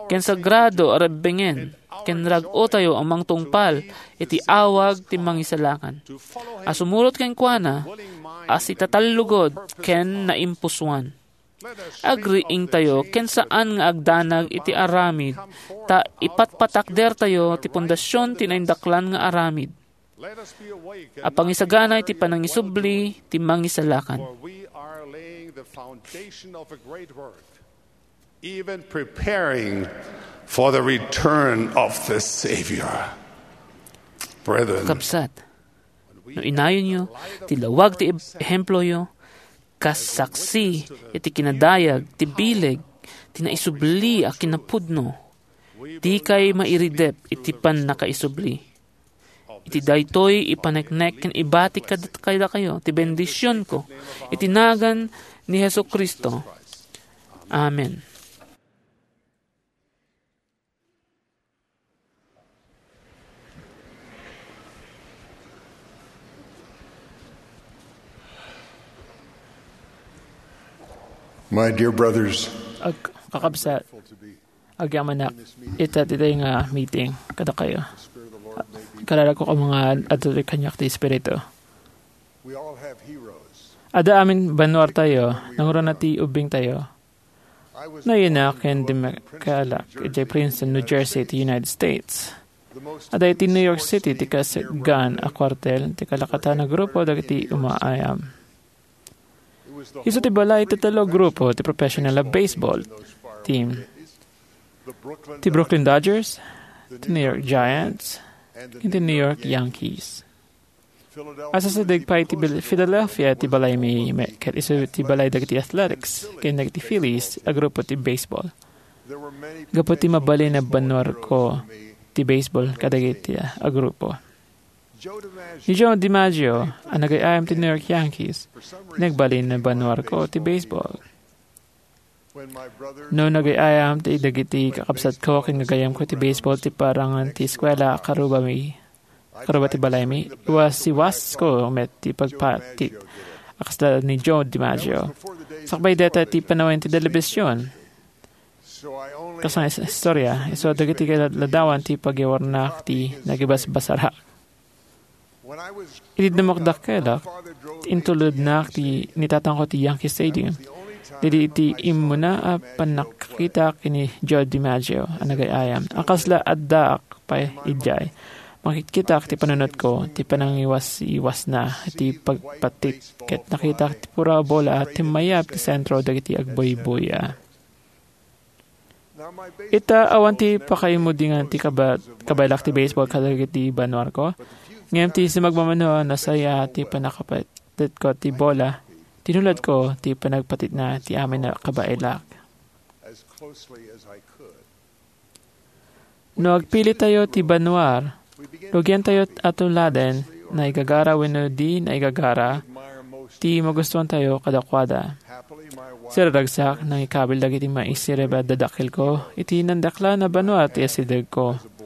ken sagrado a rebbengen ken rag-o tayo a mangtungpal iti awag ti Mangisalakan a sumurot kenkuana a sitatallugod ken naimpusoan. Agriingtayo ken saan nga agdanag iti aramid, ta ipatpatakdertayo ti pundasyon ti naindaklan nga aramid a pangisagana iti panangisubli ti Mangisalakan. For we are laying the foundation of a great work, even preparing for the return of the Savior. Brethren, Kakabsat, no inayonyo ti lawag ti ehemployo, kas saksi iti kinadayag ti bileg ti naisubli a kinapudno, dikay mairidep iti pannakaisubli. Iti daytoy ipaneknek ken ibati kad-, kadakayo ti bendisionko iti nagan ni Jesu-Cristo. Amen. My dear brothers, Ag-, kakabsat, agyamanak, ita ditoy nga meeting kadakayo. Kararag ko nga adtoy kaniak ti Espiritu. We all have heroes. Adda amin bannuartayo, nangruna ti ubbingtayo. Nayanak ken dimmakkelak idiay Princeton, New Jersey, ti United States. Adda iti New York City ti kasgan a kuartel ti kalakatan a grupo dagiti umaayam. Isu ti balay ti tallo a grupo ti professional a baseball team. Ti Brooklyn Dodgers, ti New York Giants, ken ti New York Yankees. Asasideg pay ti Bil-, Philadelphia ti balaymi, me-, ket isu ti balay dagiti Athletics ken dagiti Phillies a grupo ti baseball. Gapu ti mabalin a bannuarko ti baseball kadagiti a grupo. Ni Joe DiMaggio a nagay-ayam ti New York Yankees, nagbalin a bannuarko ti baseball. No nagay-ayam ti dagiti kakabsatko ken gagayyemko ti baseball ti parangan ti eskuela a karubami, karuba ti balaymi, iwasiwasko met ti pagpatit a kasla ni Joe DiMaggio. Sakbay dayta ti panawen ti telebision. Kasla is-, istorya, isu dagiti kaladawan ti pagyawarnak ti nagibasbasarak. Idi dummakdakkelak, intulodnak ti, ni tatangko ti Yankee Stadium. Daydi iti immuna a pannakakitak ken ni Joe DiMaggio a nagay-ayam. A kasla addaak pay idiay, makitkitak ti panunotko, ti panangiwas-iwasna, ti pagpatit, ket nakitak ti pura a bola a timmayab ti sentro dagiti agbuybuya. Ita, awan ti pakaimudingan ti kaba-, kabaelak ti baseball kadagiti bannuarko. Ngem ti sumagmamano a nasaya ti pannakapatitko ti bola, tinulodko ti panagpatitna ti amin a kabaelak. No agpilitayo ti bannuar, rugiantayo a tuladen, naigagara wenno di naigagara, ti magustuantayo kadakuada. Siraragsak, nangikabil dagiti maisirib a dadakkelko iti nandaklan a banua ti asidegko.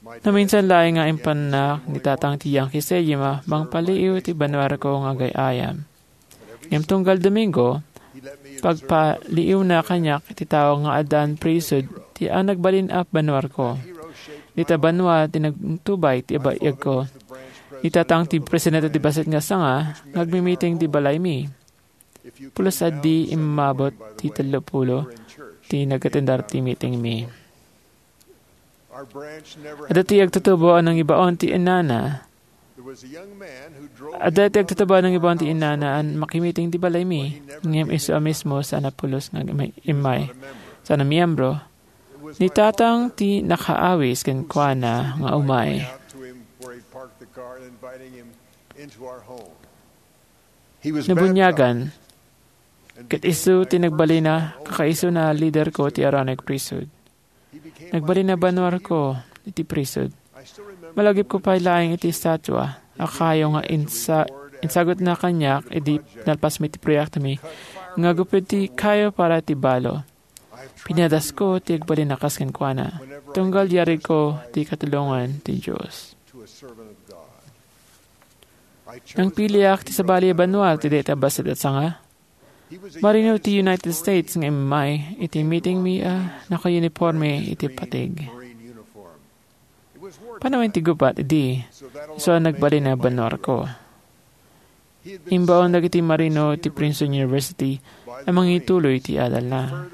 Naminsan laeng nga impannak ni tatang ti Yankee Stadium a mangpaliiw ti bannuarko nga agay-ayam. Ngem tunggal Domingo, pagpaliiwna kaniak ti tao nga addaan prisod ti a nagbalin a bannuarko. Dita banua ti nagtubay ti abayagko. Ni tatang ti presidente ti bassit nga sanga nga agmimiting ti balaymi. Pulos a di immabot ti tallo pulo. ti nag-attendar ti meetingmi. Adda ti agtutubo a nangibaon ti inana. Adda ti agtutubo a nangibaon ti inana a makimiting ti balaymi, ngem isu a mismo saan a pulos nga immay, saan a miyembro. Ni tatang ti nakaawis kenkuana nga umay. Nabuniagan, ket isu ti nagbalina, kakaisuna a liderko ti Aaronic Priesthood. Nagbalin a banwarko iti priesthood. Malagipko pay laeng iti estatua a kayo nga insa-, insagutna kaniak idi nalpasmi ti proyektomi nga agupod ti kayo para ti balo. Pinadasko ti agbalin a kas kenkuana, tunggal yarigko ti katulongan ti Dios. Nangpiliak ti sabali a banua ti dayta a bassit a sanga. Marino ti United States nga immay iti meetingmi a nakauniporme iti patig. Panawen ti gubat idi, isu a nagbalin a banwarko. Imbaon dagiti Marino ti Princeton University a mangituloy ti adalna.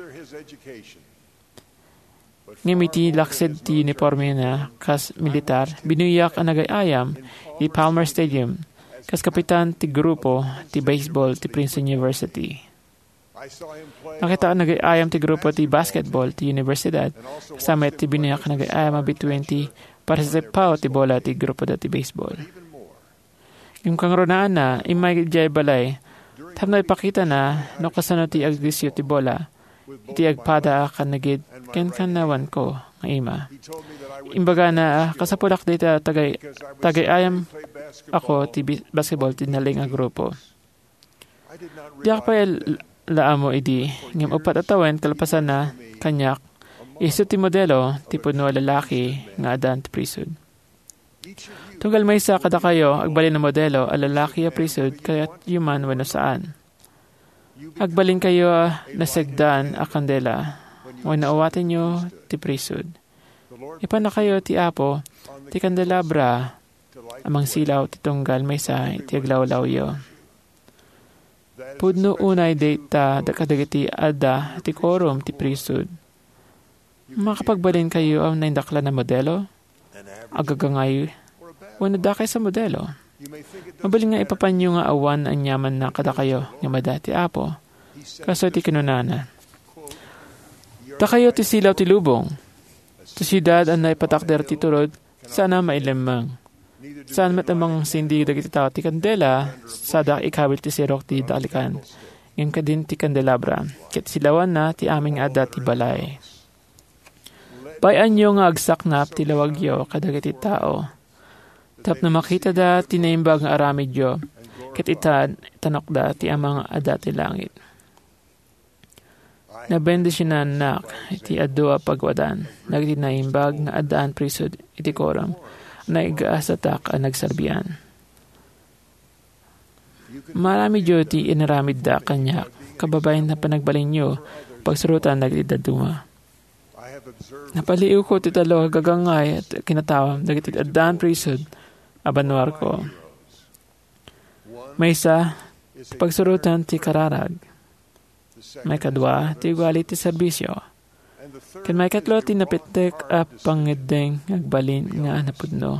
Ngem iti laksid ti unipormena kas militar, binuyak a nagay-ayam iti Palmer Stadium kas kapitan ti grupo ti baseball ti Princeton University. Nakitaak a nagay-ayam ti grupo ti basketball ti universidad, kasama iti binuyak a nagay-ayam a bituen ti parasipao ti bola ti grupoda ti baseball. Ngem kangrunaan, immay idiay balay tapno ipakitana no kasano ti agdisyo ti bola iti agpada a kanagid ken kanawanko nga ima. Imbagana a kasapudak dayta tagay-, tagay-ayam ako ti bi-, basketball ti naleng a grupo. Diak pay l-, la ammo idi, ngem uppat a tawen kalpasanna, kaniak, isu ti modelo ti pudno a lalaki nga addaan ti priesthood. Tunggal maysa kadakayo agbalin a modelo a lalaki a priesthood, kayatyo man wenno saan. Agbalinkayo a nasagdan a kandela wenno awatenyo ti priesthood. Ipannakayo ti Apo ti kandelabra a mangsilaw ti tunggal maysa iti aglawlawyo. Pudno unay dayta da-, kadagiti adda ti quorum ti priesthood. Makapagbalinkayo a naindaklan a modelo, agagangay, wenno dakes a modelo. Mabalin nga ipapanyo nga awan aniamanna kadakayo nga madi ti Apo. Kastoy ti kinunana, "Dakayo ti silaw ti lubong. Ti siudad a naipatakder ti turod, saan a mailemmeng. Saan met a mangsindi dagiti tao ti kandela, sada ikawil ti sirok ti dalikan, ngem kadin ti kandelabra, ket silawanna ti amin nga adda ti balay." Bay-anyo nga agsaknap ti lawagyo kadagiti tao, tapno makitada ti naimbag nga aramidyo, ket ita-, itanokda ti Ama nga adda ti langit. Nabendisionanak iti adu a pagwadan dagiti naimbag nga addaan priesthood iti quorum a naigasatak a nagserbian. Maaramidyo ti inaramidda kaniak, kababain a panagbalinyo, pagsurotan dagiti dadduma. Napaliiwko ti tallo a gagangay a kinatawam dagiti addaan priesthood a banwarko. Maysa, ti pagsurotan ti kararag. Maikadua, ti ugali ti serbisio. Ken maikatlo, ti napintek a pangngeddeng nga agbalin nga napudno.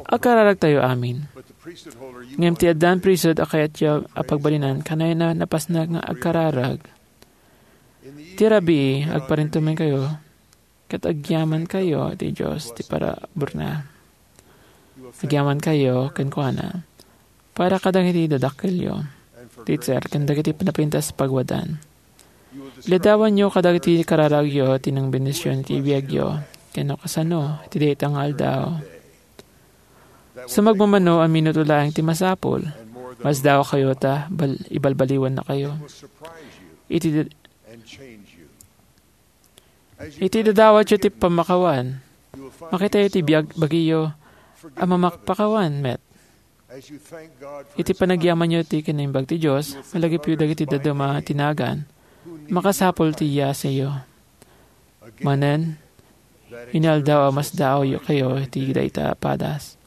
Agkararagtayo amin. Ngem ti addaan priesthood a kayatyo a pagbalinan, kanayna napasnak nga agkararag. Ti rabii, agparintumenkayo, ket agyamankayo ti Dios ti paraburna. Agyamankayo kenkuana para kadagiti dadakkelyo, teacher, ken dagiti napintas a pagwadan. Iladawanyo kadagiti kararagyo ti nangbendision iti biagyo, ken no kasano, iti dayta nga aldaw. Sumagmamano a minuto laeng ti masapul, masdaokayo ta bal-, ibalbaliwannakayo. Iti, iti dadawatyo ti pammakawan, makitayo ti biag-, bagiyo a mamakpakawan met. Iti panagyamanyo ti kinaimbag ti Dios, malagipyo dagiti dadduma ti nagan, makasapul ti yasayo. Manen, inaldaw a masdaokayo iti dayta a padas.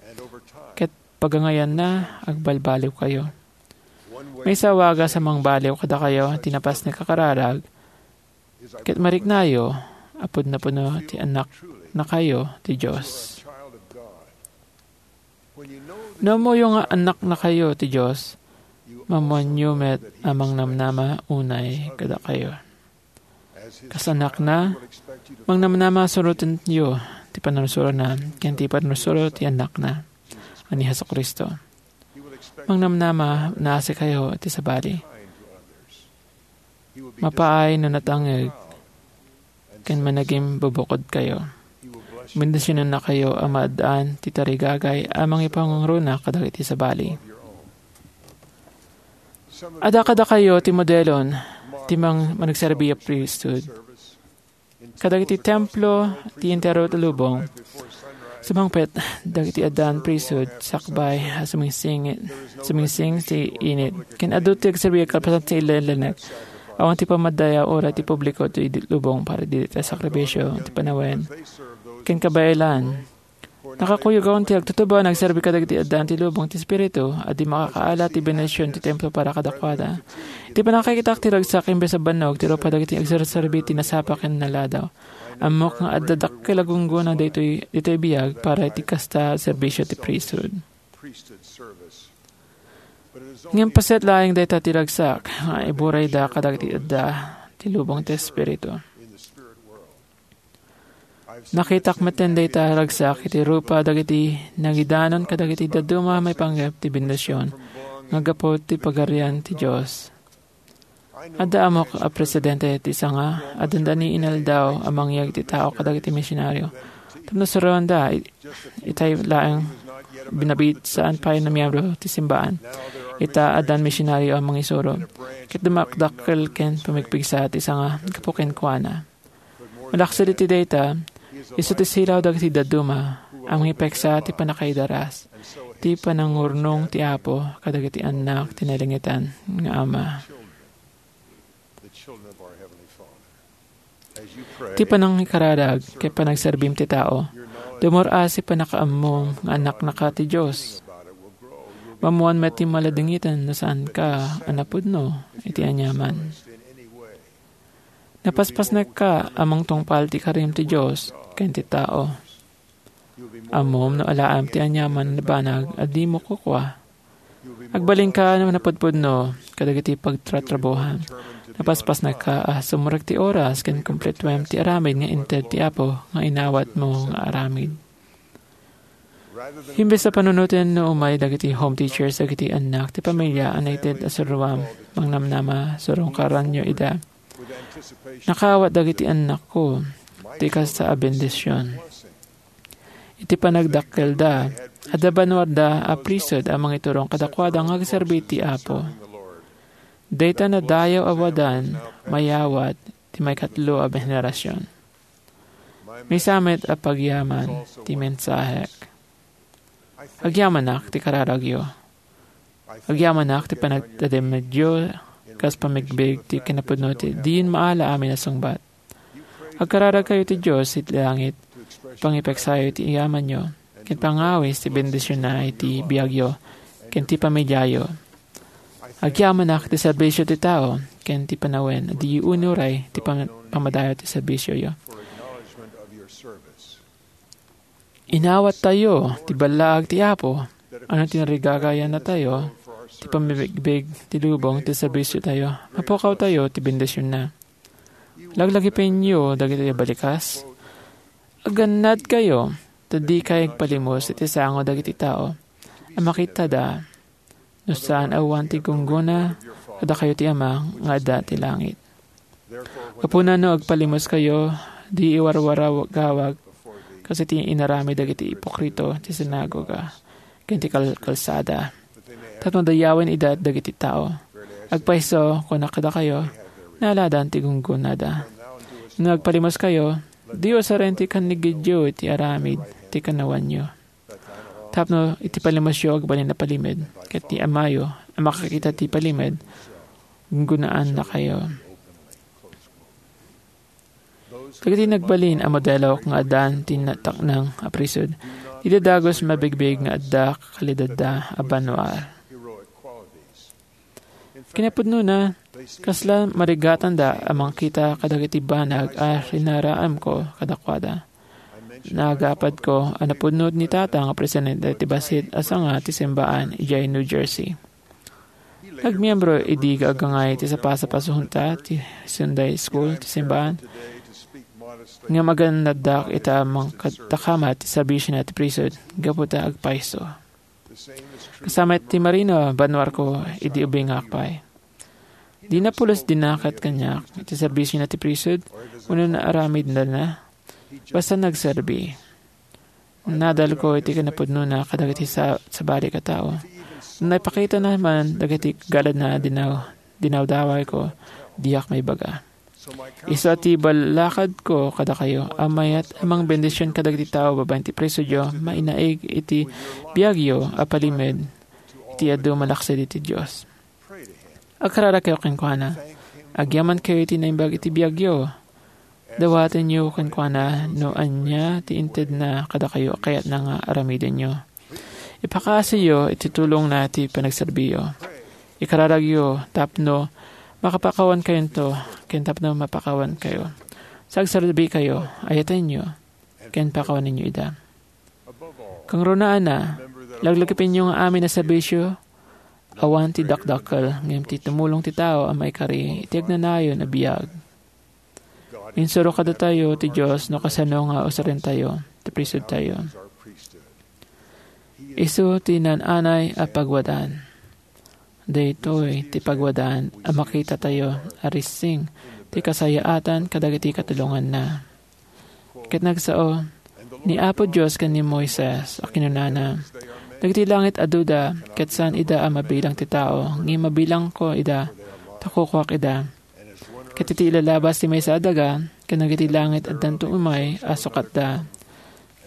Ket pagangayanna, agbalbaliwkayo. Maysa a wagas a mangbaliw kadakayo ti napasnek a kararag, ket mariknayo a pudno-pudno ti annaknakayo ti Dios. No ammoyo nga annaknakayo ti Dios, maammoanyo met a mangnamnama unay kadakayo. Kas annakna, mangnamnama a surotenyo ti pannursurona ken ti pannursuro ti Annakna a ni Jesu-Cristo. Mangnamnama a naasikayo iti sabali. Mapaay no natangngeg ken managimbubukodkayo. Bendisionannakayo a maaddaan ti tarigagay a mangipangruna kadagiti sabali. Adda kadakayo ti modelon ti mang-, managserbi a priesthood. Kadagiti templo ti entero ti lubong, sumangpet dagiti addaan priesthood sakbay a sumingsing-, sumingsing ti init. Ken adu ti agserbi a kalpasan ti ilenek. Awan ti pamadayaw uray ti publiko ti lubong para iti sakrifisio ti panawen ken kabaelan. Nakakuyog ti agtutubo a nagserbi kadagiti addaan ti lubong ti Espiritu a di makakaala ti bendision ti templo para kadakuada. Iti pannakakitak ti ragsak imbes a bannog ti rupa dagiti agserserbi ti nasapa ken naladaw. Ammok nga adda dakkel a gunggona daytoy, ditoy biag para iti kasta a serbisio ti priesthood. Ngem paset laeng dayta ti ragsak nga iburayda kadagiti adda ti lubong ti Espiritu. Nakitak metten dayta a ragsak iti rupa dagiti nagidanon kadagiti dadduma a maipanggep ti bendision nga gapu ti Pagarian ti Dios. Adda ammok a presidente ti sanga a dandani inaldaw a mangyeg ti tao kadagiti misionario tapno suroanda it-, itay laeng binabit saan pay no miembro ti simbaan. Ita, addan misionario a mangisuro ket dumadakkel ken pumigpigsa ti sanga gapu kenkuana. Malaksid iti dayta, isu ti silaw dagiti dadduma a mangipeksa ti pannakaidaras, ti panangurnong ti Apo kadagiti annak ti nailangitan nga Ama. Ti panangikararag ket panagserbim ti tao, dumur-as ti pannakaammom nga annaknaka ti Dios. Maammoan met ti maladingiten no saanka a napudno iti aniaman. Napaspasnekka a mangtungpal ti karim ti Dios ken ti tao. Ammom no alaem ti aniaman a nabanag a dimo kukua. Agbalinka a napudpudno kadagiti pagtratrabuhan. Napaspasnekka a sumrek ti oras ken kumpletuem ti aramid nga inted ti Apo nga inawatmo nga aramid. Imbes a panunoten no umay dagiti home teachers dagiti annak ti pamilia a naited a suroam, mangnamnama, surungkaranyo ida. Nakaawat dagiti annakko ti kasta a bendision. Iti panagdakkelda, adda bannoanna a priesthood a mangiturong kadakuada nga agserbi ti Apo. Dayta nadayaw a wadan mayawat ti maikatlo a henerasion. Maysa met a pagyaman ti mensahek. Agyamanak ti kararagyo. Agyamanak ti panagtademedyo kas pamigbig ti kinapudno ti diyon maala amin a sungbat. Agkararagkayo ti Dios iti langit, pangipeksayo ti yamanyo, ken pangawis ti bendisionna iti biagyo ken ti pamiliayo. Agyamanak ti serbisio ti tao ken ti panawen a di unuray ti pam-, pamadayo ti serbisioyo. Inawattayo ti ballaag ti Apo, ano ti narigagayannatayo ti pammibigbig ti lubong ti serbisiotayo, mapukawtayo ti bendisionna. Laglagipenyo dagiti balikas. Agannadkayo, ta dikay agpalimos iti sango dagiti tao a makitada no saan a awan ti gunggona kadakayo ti Ama nga adda ti langit. Gapuna no agpalimoskayo, di iwarwarawgawag kas iti inaramid dagiti ipokrito ti sinagoga ken ti kal-, kalsada, tapno dayawen ida dagiti tao. Agpayso, kunak kadakayo, naaladan ti gunggonada. No agpalimoskayo, di usaren ti kannigidyo iti aramid ti kanawanyo. Tapno iti palimosyo agbalin a palimed, ket ti Amayo a makakita ti palimed, gunggonaannakayo. Dagiti nagbalin a modelo nga addan ti nataknang a priesthood, dida dagus mabigbig nga adda kalidadda a bannoan. Kinapudnona, kasla marigatanda a mangkita kadagiti banag a rinaraanko kadakuada. Nagapadko a napudno ni Tata nga presidente ti bassit a sanga ti simbaan idiay New Jersey. Nagmiembro idi agangay ti sapasapasonta ti Sunday School ti simbaan nga maganaddak ita a mangkadakamat ti serbisiona ti priesthood gapu ta agpayso. Kasama ti marino, banwarko idi ubingak pay. Dina pulos dinakat kaniak iti serbisiona ti priesthood wenno naaramidna, basta nagserbi. Nadalko iti kinapudnona kadagiti sa-, sabali a tao. Naipakitana man dagiti galadna a dinaw-, dinawdawayko, diak maibaga. Isu a ti ballakadko kadakayo a mayat a mangbendision kadagiti tao babaen ti priesthoodyo, mainaig iti biagyo a palimed iti adu malaksid iti Dios. Agkararagkayo kenkuana. Agyamankayo iti naimbag iti biagyo. Dawatenyo kenkuana no ania ti intedna kadakayo a kayatna nga aramidenyo. Ipakaasiyo iti tulongna ti panagserbiyo. Ikararagyo tapno makapakawankayonto ken tapno mapakawankayo. Sagserbikayo, ayatenyo, ken pakawanenyo ida. Kangrunaanna, laglagipenyo nga amin a serbisio, awan ti dakdakkel, ngem ti tumulong ti tao a maikari iti agnanayon a biag. Insuro kadatayo ti Dios no kasano nga usarentayo ti priesthoodtayo. Isu ti naan-anay a pagwadaan. Daytoy ti pagwadaan a makitatayo a rissing ti kasayaatan kadagiti katulonganna. Ket nagsao, ni Apo Dios ken ni Moises a kinunana, "Dagiti langit aduda, ket saan ida a mabilang ti tao, ngem mabilangko ida, ta kukuak ida." Ket iti ilalabas ti maysa a daga, ken dagiti langit addanto umay a sukatda.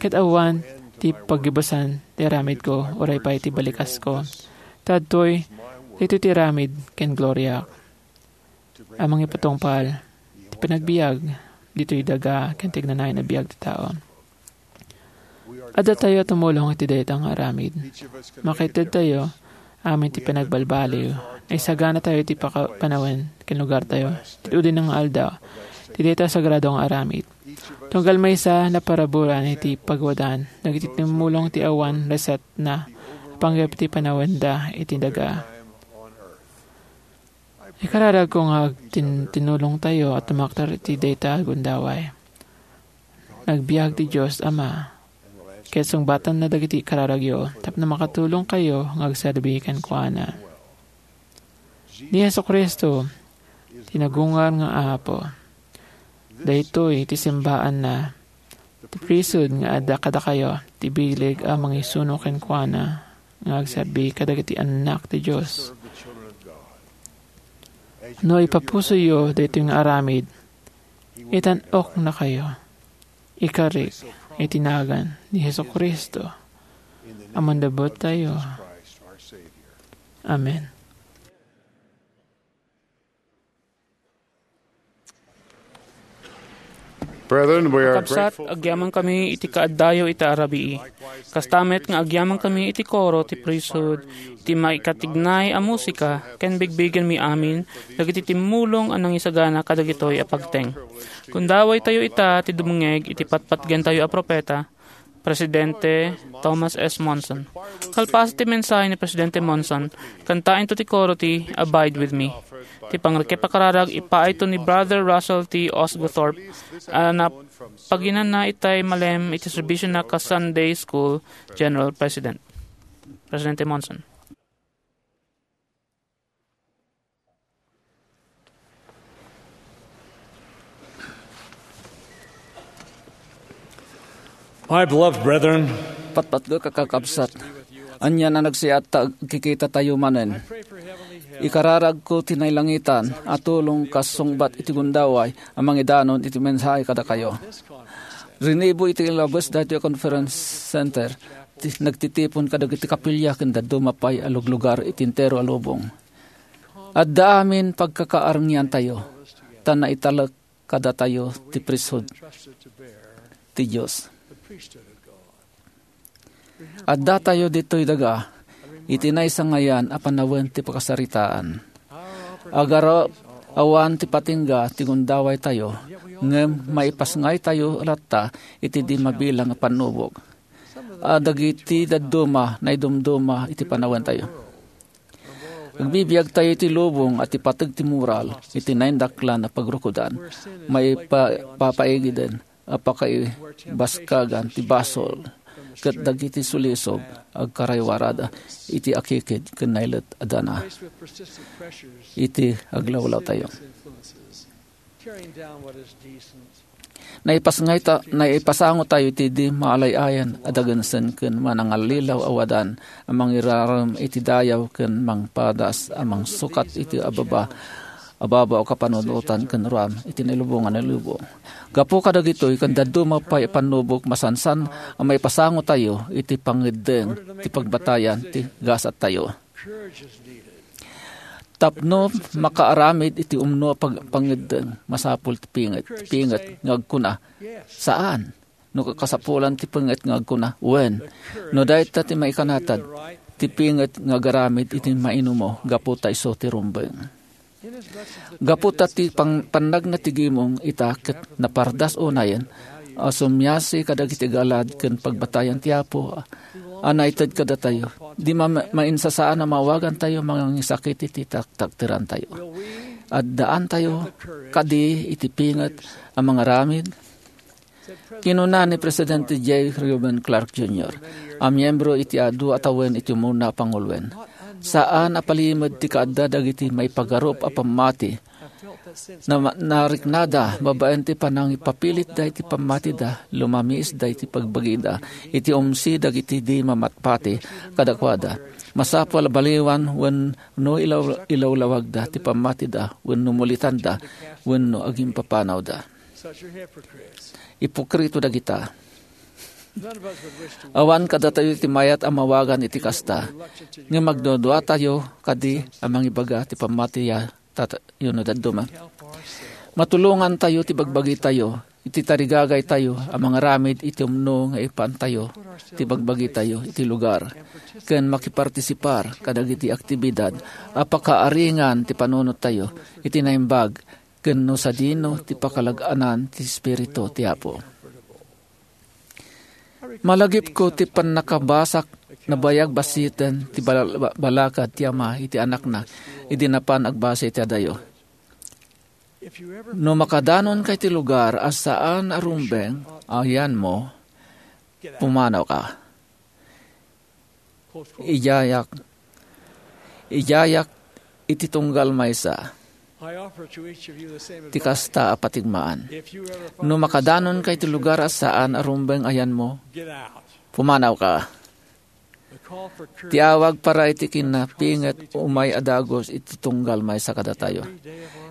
Ket awan ti paggibusan ti aramidko, uray pay ti balikasko. Ta adtoy, daytoy ti aramid ken gloriak a mangipatungpal ti panagbiag ditoy daga ken ti agnanayon a biag ti tao. Addatayo a tumulong iti dayta nga aramid. Makaitedtayo amin ti panagbalbaliw. Naisaganatayo ti paka-, panawen ken lugartayo ti udinna nga aldaw ti dayta a sagrado nga aramid. Tunggal maysa, naparaburan iti pagwadaan dagiti tumulong ti awan resetna a panggep ti panawenda iti daga. Ikararagko nga agtin-, tinulongtayo a tumakder iti dayta a gundaway. Nagbiag ti Dios Ama, ket sungbatanna dagiti ikararagyo tapno makatulongkayo nga agserbi kenkuana. Ni Jesu-Cristo, ti nagungar nga Apo. Daytoy ti simbaanna, ti priesthood nga adda kadakayo, ti bileg a mangisuno kenkuana nga agserbi kadagiti annak ti Dios. No ipapusoyo daytoy nga aramid, itan-oknakayo. Ikarik iti nagan ni Jesu-Cristo a Mannubottayo. Amen. Brethren, we are Kakabsat, grateful for agyamankami iti kaaddayo iti arabii. Kasta met nga agyamankami iti koro ti priesthood, iti maikatignay a musika, ken bigbigenmi amin dagiti timmulong a nangisagana kadagitoy a pagteng. Gundawaytayo ita ti dumngeg iti patpatgentayo a propeta, Presidente Thomas S. Monson. Kalpasan ti mensahe ni Presidente Monson, kantaentayo ti koro ti "Abide with Me." Ti pangrekepakararag ipaayto ni Brother Russell T. Osguthorpe a napaginanna itay malem iti serbisiona kas Sunday School General President. Presidente Monson. My beloved brethren, patpatgek a kakabsat, ania a nagsiat ta agkikitatayo manen. Ikararagko ti nailangitan a tulong kas sungbat iti gundaway a mangidanon iti mensahe kadakayo. Rinibo iti labes daytoy a conference center, ti nagtitipon kadagiti kapilya ken dadduma pay a luglugar iti entero a lubong. Adda amin pagkakaarngiantayo, ta naitalek kadatayo ti priesthood ti Dios. Addatayo ditoy daga iti naisangayan a panawen ti pakasaritaan. Agarop, awan ti patingga ti gundawaytayo, ngem maipasngaytayo latta iti di mabilang a pannubok. A dagiti dadduma naidumduma iti panawentayo. Agbibiagtayo iti lubong a ti pateg ti moral iti naindaklan a pagrukodan, maipa-, papaigiden a pakaibaskagan ti basol, ket dagiti sulisog agkaraywarada iti akikid ken nailet a dana iti aglawlawtayo. Naipasngayta-, naipasangotayo iti di maalay-ayan a dagensen ken manangallilaw a wadan a mangirarem iti dayaw ken mangpadas a mangsukat iti ababa, ababa o kapanunotan ken ruam iti nailubongan a lubong. Gapu kadagitoy ken dadduma pay a pannubok masansan a maipasangotayo iti pangeddeng ti pagbatayan ti gasattayo. Tapno makaaramid iti umno a pag-, pangeddeng, masapul ti pinget, ti pinget nga agkuna, "Saan." No kasapulan ti pinget nga agkuna, "Wen." No dayta ti maikanatad, ti pinget nga agaramid iti mainumo gapu ta isu ti rumbeng. Gapu ta ti pang-, pannagna ti gimong ita ket napardas unayen a sumiasi kadagiti galad ken pagbatayan ti Apo a naited kadatayo, di ma-, mainsasaan a maawagantayo mangisakit iti taktakterantayo. Addaantayo kadi iti pinget a mangaramid? Kinuna ni Presidente J. Reuben Clark Junior, a miyembro iti adu a tawen iti umuna a panguloen, "Saan a palimed ti kaadda dagiti maipagarup a pammati. Na-, nariknada babaen ti panangipapilitda iti pammatida, lumamiisda iti pagbagida, iti umsi dagiti di mamatpati kadakuada. Masapul a baliwan wenno ilaw-, ilawlawagda ti pammatida wenno mulitanda wenno agimpapanawda." Ipokrito dagita. Awan kadatayo ti mayat a mawagan iti kasta, ngem agduaduatayo kadi a mangibaga ti pammatiya tatayo no dadduma. Matulongantayo ti bagbagitayo, iti tarigagaytayo a mangaramid iti umno nga ipantayo ti bagbagitayo iti lugar, ken makipartisipar kadagiti aktibidad a pakaaringan ti panunottayo iti naimbag ken no sadino ti pakalag-anan ti Espiritu ti Apo. Malagipko ti pannakabasak nabayag basiten ti bala-, ba-, balakad ti ama iti anakna idi napan agbasa iti adayo. No makadanonka iti lugar a saan a rumbeng a yanmo, pumanawka. Idiayak, idiayak iti tunggal maysa ti kasta a patigmaan. No makadanonka iti lugar a saan a rumbeng a yanmo, pumanawka. Ti awag para iti kinapinget umay a dagus iti tunggal maysa kadatayo.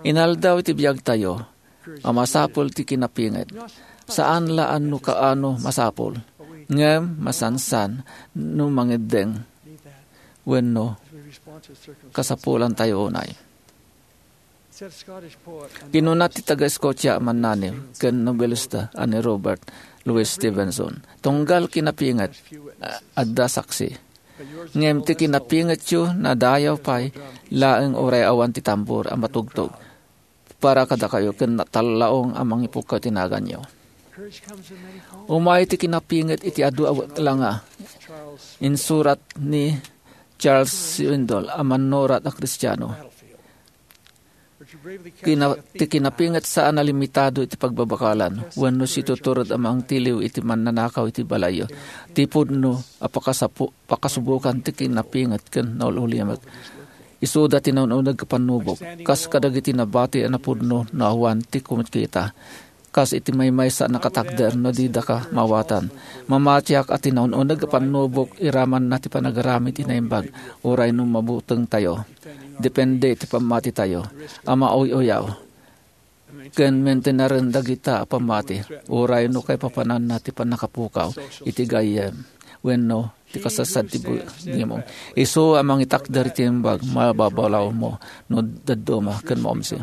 Inaldaw iti biagtayo a masapul ti kinapinget. Saan la a no kaano masapul, ngem masansan no mangeddeng wenno kasapulantayo unay. Kinuna ti taga-Scotia a mannani ken nobelista a ni Robert Louis Stevenson, "Tunggal kinapinget, a-, adda saksi. Ngem ti kinapingetyo, nadayaw pay laeng uray awan ti tambor a matugtog para kadakayo ken natallaong a mangipukkaw ti naganyo." Umay ti kinapinget iti adu a langa. Insurat ni Charles Swindoll a mannurat a Kristiano. Kina-, ti kinapinget saan a limitado iti pagbabakalan, wenno situtured a mangtiliw iti mannanakaw iti balayyo. Ti pudno a pakasapu-, pakasubokan ti kinapinget ken naul-ulimek. Isuda ti naun-uneg a pannubok, kas kadagiti nabati a napudno no awan ti kumikita. Kas iti maymaysa a nakatakder no didaka maawatan. Mamatiak a ti naun-uneg a pannubok iramanna ti panagaramid ti naimbag, uray no mabutengtayo. Depende iti pammatitayo a mauy-uyaw ken maintenaren dagita a pammati, uray no kaipapananna ti pannakapukaw iti gayyem wenno ti kasasaad ti bu-, gimong. Isu a mangitakder iti imbag, mababalawmo no dadduma ken maumsi.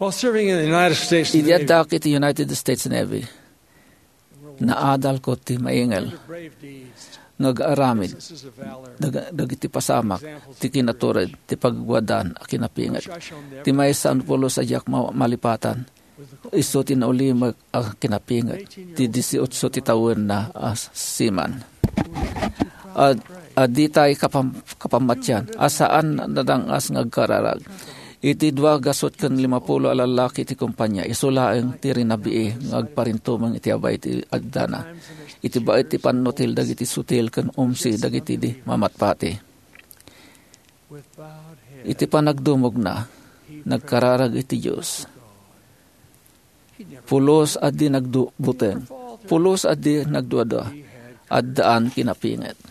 While serving in the United States Idi Navy, addak iti United States Navy, naadalko ti maingel. Brave deeds. nga agaramid dag-, dagiti pasamak ti kinatured ti pagwadaan a kinapinget. Ti maysa a pulos a diak ma-, malipatan, isu ti naulimek a kinapinget ti dieciocho ti tawenna a siman. A, a ditay kapam-, kapammatian a saan nadangas nga agkararag. Iti dua gasut ken limapulo a lallaki ti kompania, isu laeng ti rinabii nga agparintumeng iti abay ti agdana. Iti baet ti pannutil dagiti sutil ken umsi dagiti di mamatpati. Iti panagdumogna, nagkararag iti Dios. Pulos a di nagdu-, buteng. Pulos a di nagduadua. Addaan kinapinget.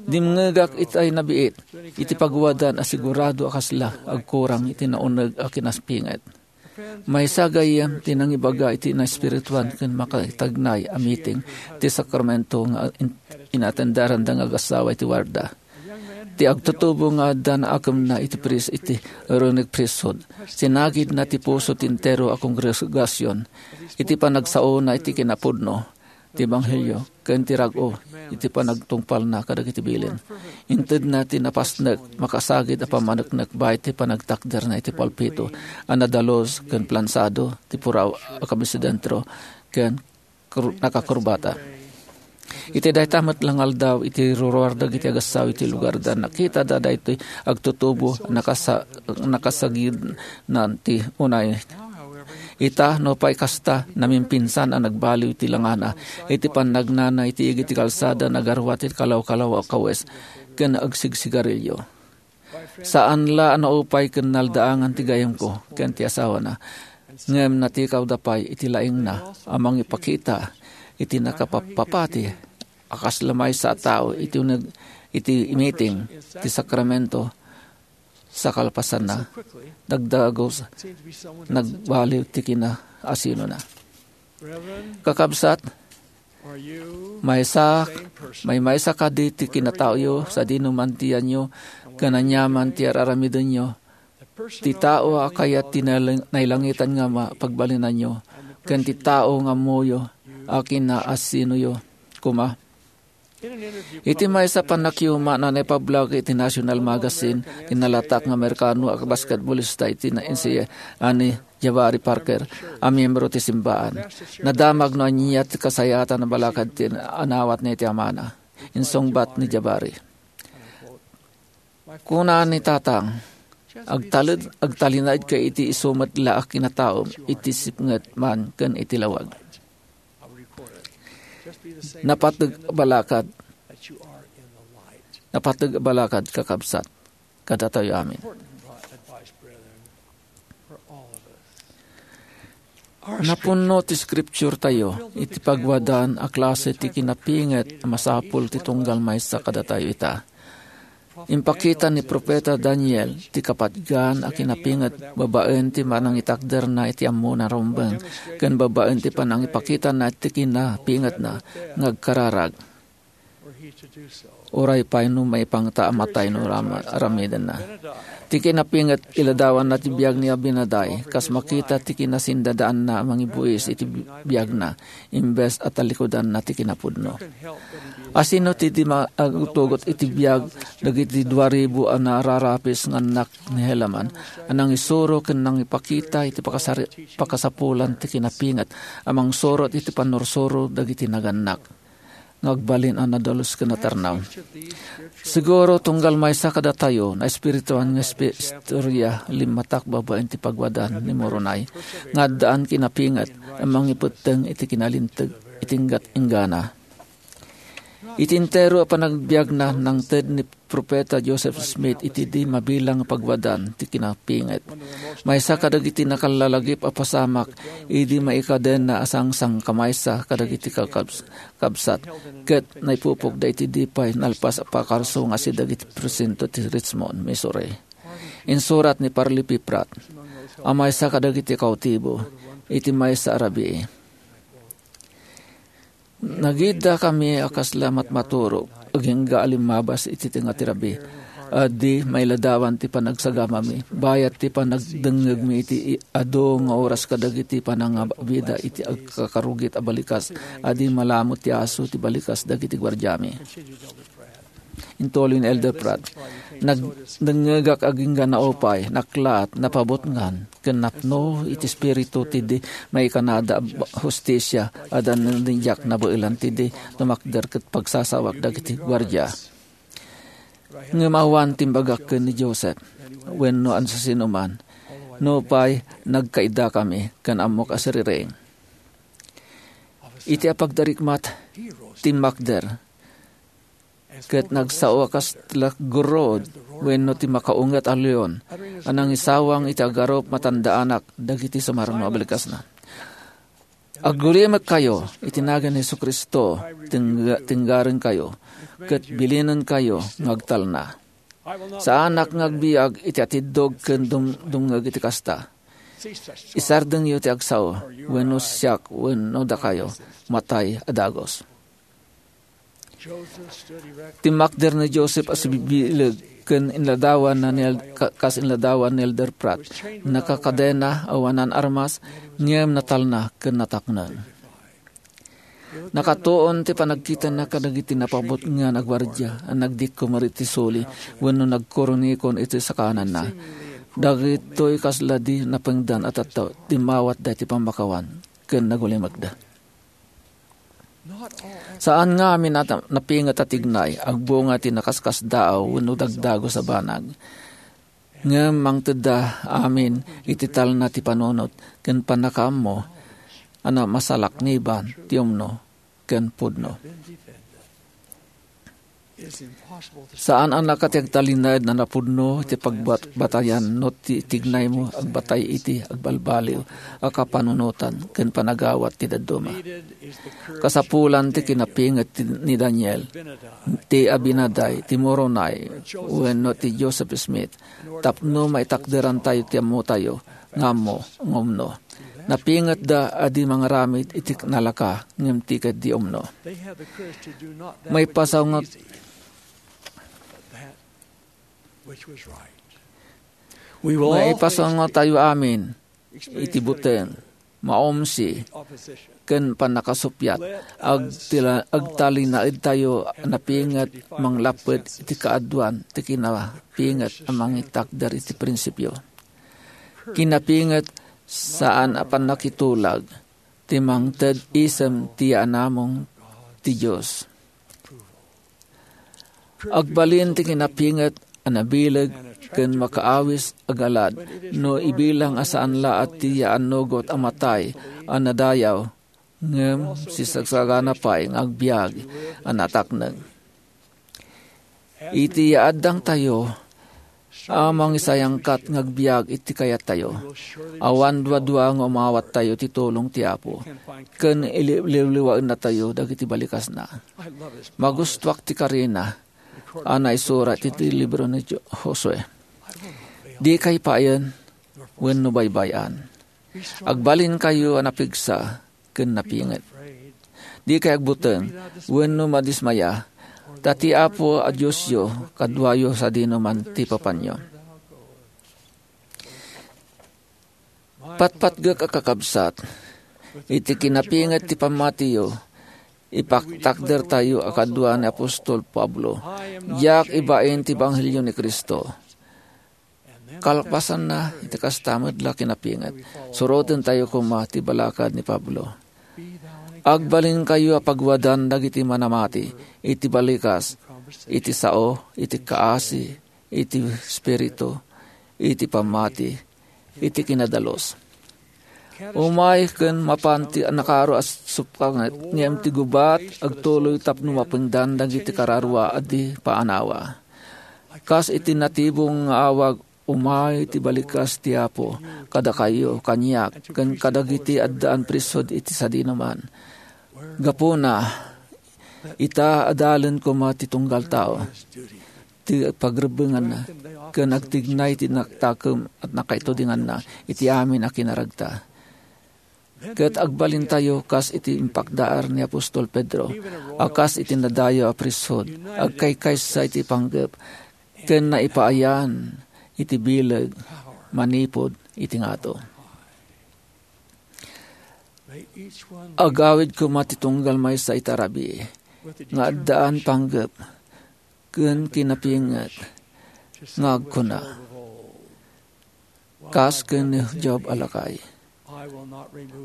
Dimngegak itay nabiit iti pagwadan a sigurado a kasla agkurang iti nauneg a kinapinget. Maysa gayyem ti nangibaga iti naespirituan ken makaitagnay a meeting ti sakramento nga in-, inatenderanda nga agassawa iti warda. Ti agtutubo nga adda naakemna iti pris-, iti Aaronic priesthood. Sinagidna ti puso ti entero a kongregasion iti panagsaona iti kinapudno ti ebanghelio ken ti rag-o iti panagtungpalna kadagiti bilin. Intedna ti napasnek, makasagid a pammaneknek baet ti panagtakderna iti pulpito a nadalus ken plansado ti puraw a kamisedentro ken kru-, nakakurbata. Iti dayta met la nga aldaw, iti ruruar dagiti agassawa iti lugarda, nakitada daytoy agtutubo, nakasa-, nakasagidnan ti unay. Ita, nupay kasta, namimpinsan a nagbaliw ti langana, iti pannagnana iti igid ti kalsada, nagaruat ti kalaw-kalaw a kawes, ken agsigsigarilio. Saan la a naupay ken naldaangan ti gayyemko ken ti asawana, ngem natikawda pay iti laingna a mangipakita iti nakapappapati a kasla maysa a tao iti uneg iti meeting ti sakramento sa kalpasanna. Dagdagus, nagbaliw ti kinaasinona. Kakabsat, maysa, maymaysa kadi ti kinataoyo sadino man ti yanyo ken aniaman ti ar-aramidenyo, ti tao a kayat ti nailang-, nailangitan nga ma-, pagbalinanyo, ken ti tao nga ammoyo a kinaasinoyo koma. Iti maysa a pannakiuma a naipablag iti national magazine, ti nalatak nga Amerikano a basketballista iti na-, N C A A ni Jabari Parker a miyembro ti simbaan. Nadamag no ania ti kasayaatan a balakad ti anawatna iti amana. Insungbat ni Jabari. Kuna ni Tatang, "Agtaled-, agtalinaedka iti isu met la a kinataom iti sipnget man ken iti lawag." Napateg a balakad. Napateg a balakad, kakabsat, kadatayo amin. Napunno ti Scripture tayo iti pagwadaan a klase ti kinapinget a masapul ti tunggal maysa kadatayo ita. Impakita ni Profeta Daniel ti kapatgan a kinapinget babaen ti panangitakderna iti ammona a rumbeng ken babaen ti panangipakitana ti kinapingetna nga agkararag. Uray pay no maipangta a matay no rama-, aramidenna. Ti kinapinget, iladawanna ti biag ni Abinadi, kas makita ti kinasindadaanna a mangibuis iti bi-, biagna, imbes a talikudanna ti kinapudno. Asino ti di ma-, agtugot iti biag dagiti dua ribu a nararapis nga annak ni Helaman a nangisuro ken nangipakita iti pakasari-, pakasapulan ti kinapinget a mangsurot iti pannursuro dagiti nagannak nga agbalin a nadalus ken natarnaw. Siguro, tunggal maysa kadatayo, naespirituan nga espe-, istorya, limmatak babaen ti pagwadaan ni Moroni, nga addaan kinapinget a mangipetteng iti kinalinteg iti inggat-inggana. Iti entero a panagbiagna, nangted ni Profeta Joseph Smith iti di mabilang nga pagwadaan ti kinapinget. Maysa kadagiti nakallalagip a pasamak idi maikadenna a sangsangkamaysa kadagiti kakabs-, kabsat, ket naipupokda iti di pay nalpas a pakarso nga sida iti presinto ti Richmond, Missouri. Insurat ni Parley P. Pratt a maysa kadagiti kautibo iti maysa a rabii. Nagiddakami a kasla matmaturog, agingga a limmabas iti tengnga ti rabii. a di mailadawan ti panagsagamami, bayat ti panagdengngegmi iti i-, adu nga oras kadagiti panangabida iti agkakarugit a balikas a di malamut ti aso ti balikas dagiti guardiami. Intuloy ni Elder Pratt, "Nagdengngegak agingga naupay, naklaat, napabutngan, ken napno iti Espiritu ti di maikanada a ba-, hustisia, a dandidiak nabaelan ti di tumakder ket pagsasawak dagiti guardia." Ngem awan timbagak ken ni Joseph wenno ansasinoman, nupay nagkaidakami ken ammok a siriring. Iti apagdarikmat, timmakder, ket nagsao a kas ti gurod wenno ti makaunget a leon a nangisawang iti agarup matandaanak dagiti sumarno a balikasna. Aggulimekkayo iti nagan ni Jesu-Cristo, tingga-, tinggarenkayo, ket bilinenkayo nga agtalna. Saanak nga agbiag iti atiddog ken dum-, dumngeg iti kasta. Isardengyo ti agsao, wenno siak, wenno dakayo, matay a dagus. Timmakder ni Joseph a sibibileg ken inladawan na ni El-, ka-, kas inladawan ni Elder Pratt. Nakakadena awanan armas, ngem natalna ken natakneng. Nakatuon ti panagkitana kadagiti napabutngan a guardia a nagdikkomer iti suli wenno nagkurunikon iti sakananna. Dagitoy kasla di napengdan a tattao, dimmawatda iti pammakawan ken nagulimekda. Saan nga amin a ta-, napinget a tignay, agbunga ti nakaskasdaaw wenno dagdagus a banag. Ngem mangtedda amin iti talna ti panunot ken pannakaammo a namasalakniban ti umno ken pudno. Saan a naka ti agtalinaed a napudno ti pagbat-, batayan no ti tignaymo agbatay iti agbalbaliw a kapanunotan ken panagawat ti dadduma. Kasapulan ti kinapinget ti, ni Daniel, ti Abinadi, ti Moroni, wenno ti Joseph Smith, tapno maitakderantayo ti ammotayo nga ammo nga umno. Napingetda a di mangaramid iti nalaka ngem ti ket di umno. Maipasawngot, maipasawngotayo amin iti buteng, maumsi, ken pannakasuppiat. Agtila-, agtalinaedtayo a napinget manglapped iti kaaduan ti kinapinget a mangitakder iti prinsipio. Kinapinget saan a pannakitulag ti mangted isem ti yaanamong ti Dios. Agbalin ti kinapinget a nabileg ken makaawis a galad no ibilang a saan laat ti yaannugot a matay a nadayaw ngem sisagsagana pay nga agbiag a natakneng. Iti yaaddangtayo a mangisayangkat nga agbiag iti kayattayo, awan duadua nga umawattayo ti tulong ti Apo, ken iliwliwaennatayo dagiti balikasna. Magustuak ti karina a naisurat iti libro ni Jo-, Josue. Dikay payen wenno baybay-an. Agbalinkayo a napigsa ken napinget. Dikay agbuteng wenno madismaya, ta ti Apo a Diosyo kaduayo sadinoman ti papanyo. Patpatgek a kakabsat, iti kinapinget ti pammatiyo, ipaktakdertayo a kadua ni apostol Pablo, "Diak ibain ti ebanghelio ni Cristo." Kalpasanna, iti kasta met la kinapinget, surotentayo koma ti balakad ni Pablo. Agbalinkayo a paguadan dagiti manamati iti balikas, iti sao, iti kaasi, iti espiritu, iti pammati, iti kinadalus. Umay ken mapan ti nakaro a suppanget, ngem ti gubat agtuloy tapno mapengdan dagiti kararua a di paanawa. Kas iti natibong nga awag, umay ti balikas ti Apo kadakayo, kaniak, ken kadagiti addaan prisud iti sadinoman. Gapuna, ita, adalen koma ti tunggal tao, ti pagrebbenganna, ken agtignay ti naktakem a nakaitudinganna iti amin a kinaragta. Ket agbalintayo kas iti impakdaar ni apostol Pedro, a kas iti nadayaw a priesthood, agkaykaysa iti panggep, ken naipaayan iti bileg manipud iti ngato. Agawid koma ti tunggal maysa iti rabii nga addaan panggep ken kinapinget nga agkuna, kas ken ni Job a lakay,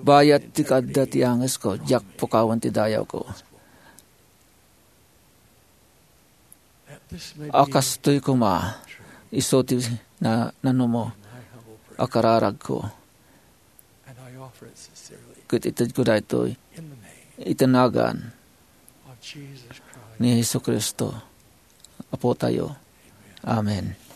"Bayat ti kaadda ti angesko, diak pukawen ti dayawko." A kastoy koma, isu ti na-, nanumo a kararagko. Ket itedko daytoy iti nagan ni Jesu-Cristo, Apotayo. Amen.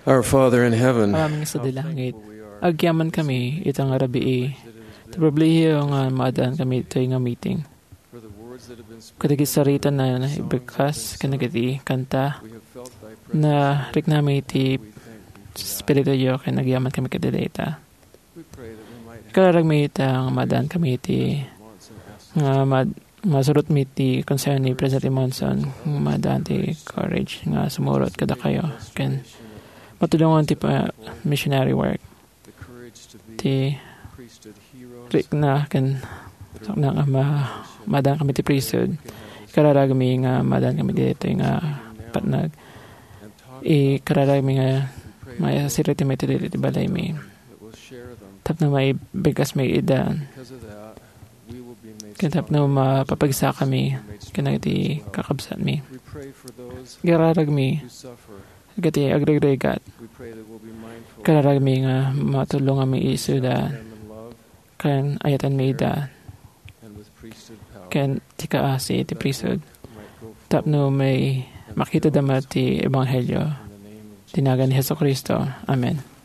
Our Father in heaven, Amami nga sadi langit, agyaman kami ita nga rabii. Ti pribilehiyo nga maadaan kami itoy nga meeting. Kadagiti sarita na ibagkas ken dagiti kanta, nariknami ti Espirituyo ken agyaman kami ket dayta. Kararagmi ita nga maadaan kami iti nga mad-, masurot mi ti konseho ni President Monson nga maadaan ti courage nga sumurot kadakayo ken matulongan ti pa-, missionary work. Ti rikna ken sakna nga ma-, maadaan kami ti priesthood. Ikararagmi nga maadaan kami ditoy nga patnag. Ikararagmi nga maisirita mi iti balaymi. Tapno maibigkas mi ida. Ken tapno mapapagsa kami ken dagiti kakabsatmi. Ikararagmi dagiti agregregat. Ikararagmi nga matulonganmi isuda ken ayatenmi ida. Ken ti kaasi ti priesthood. Tapno may makitada met ti ebanghelio. Ti nagan ni Jesu-Cristo. Amen.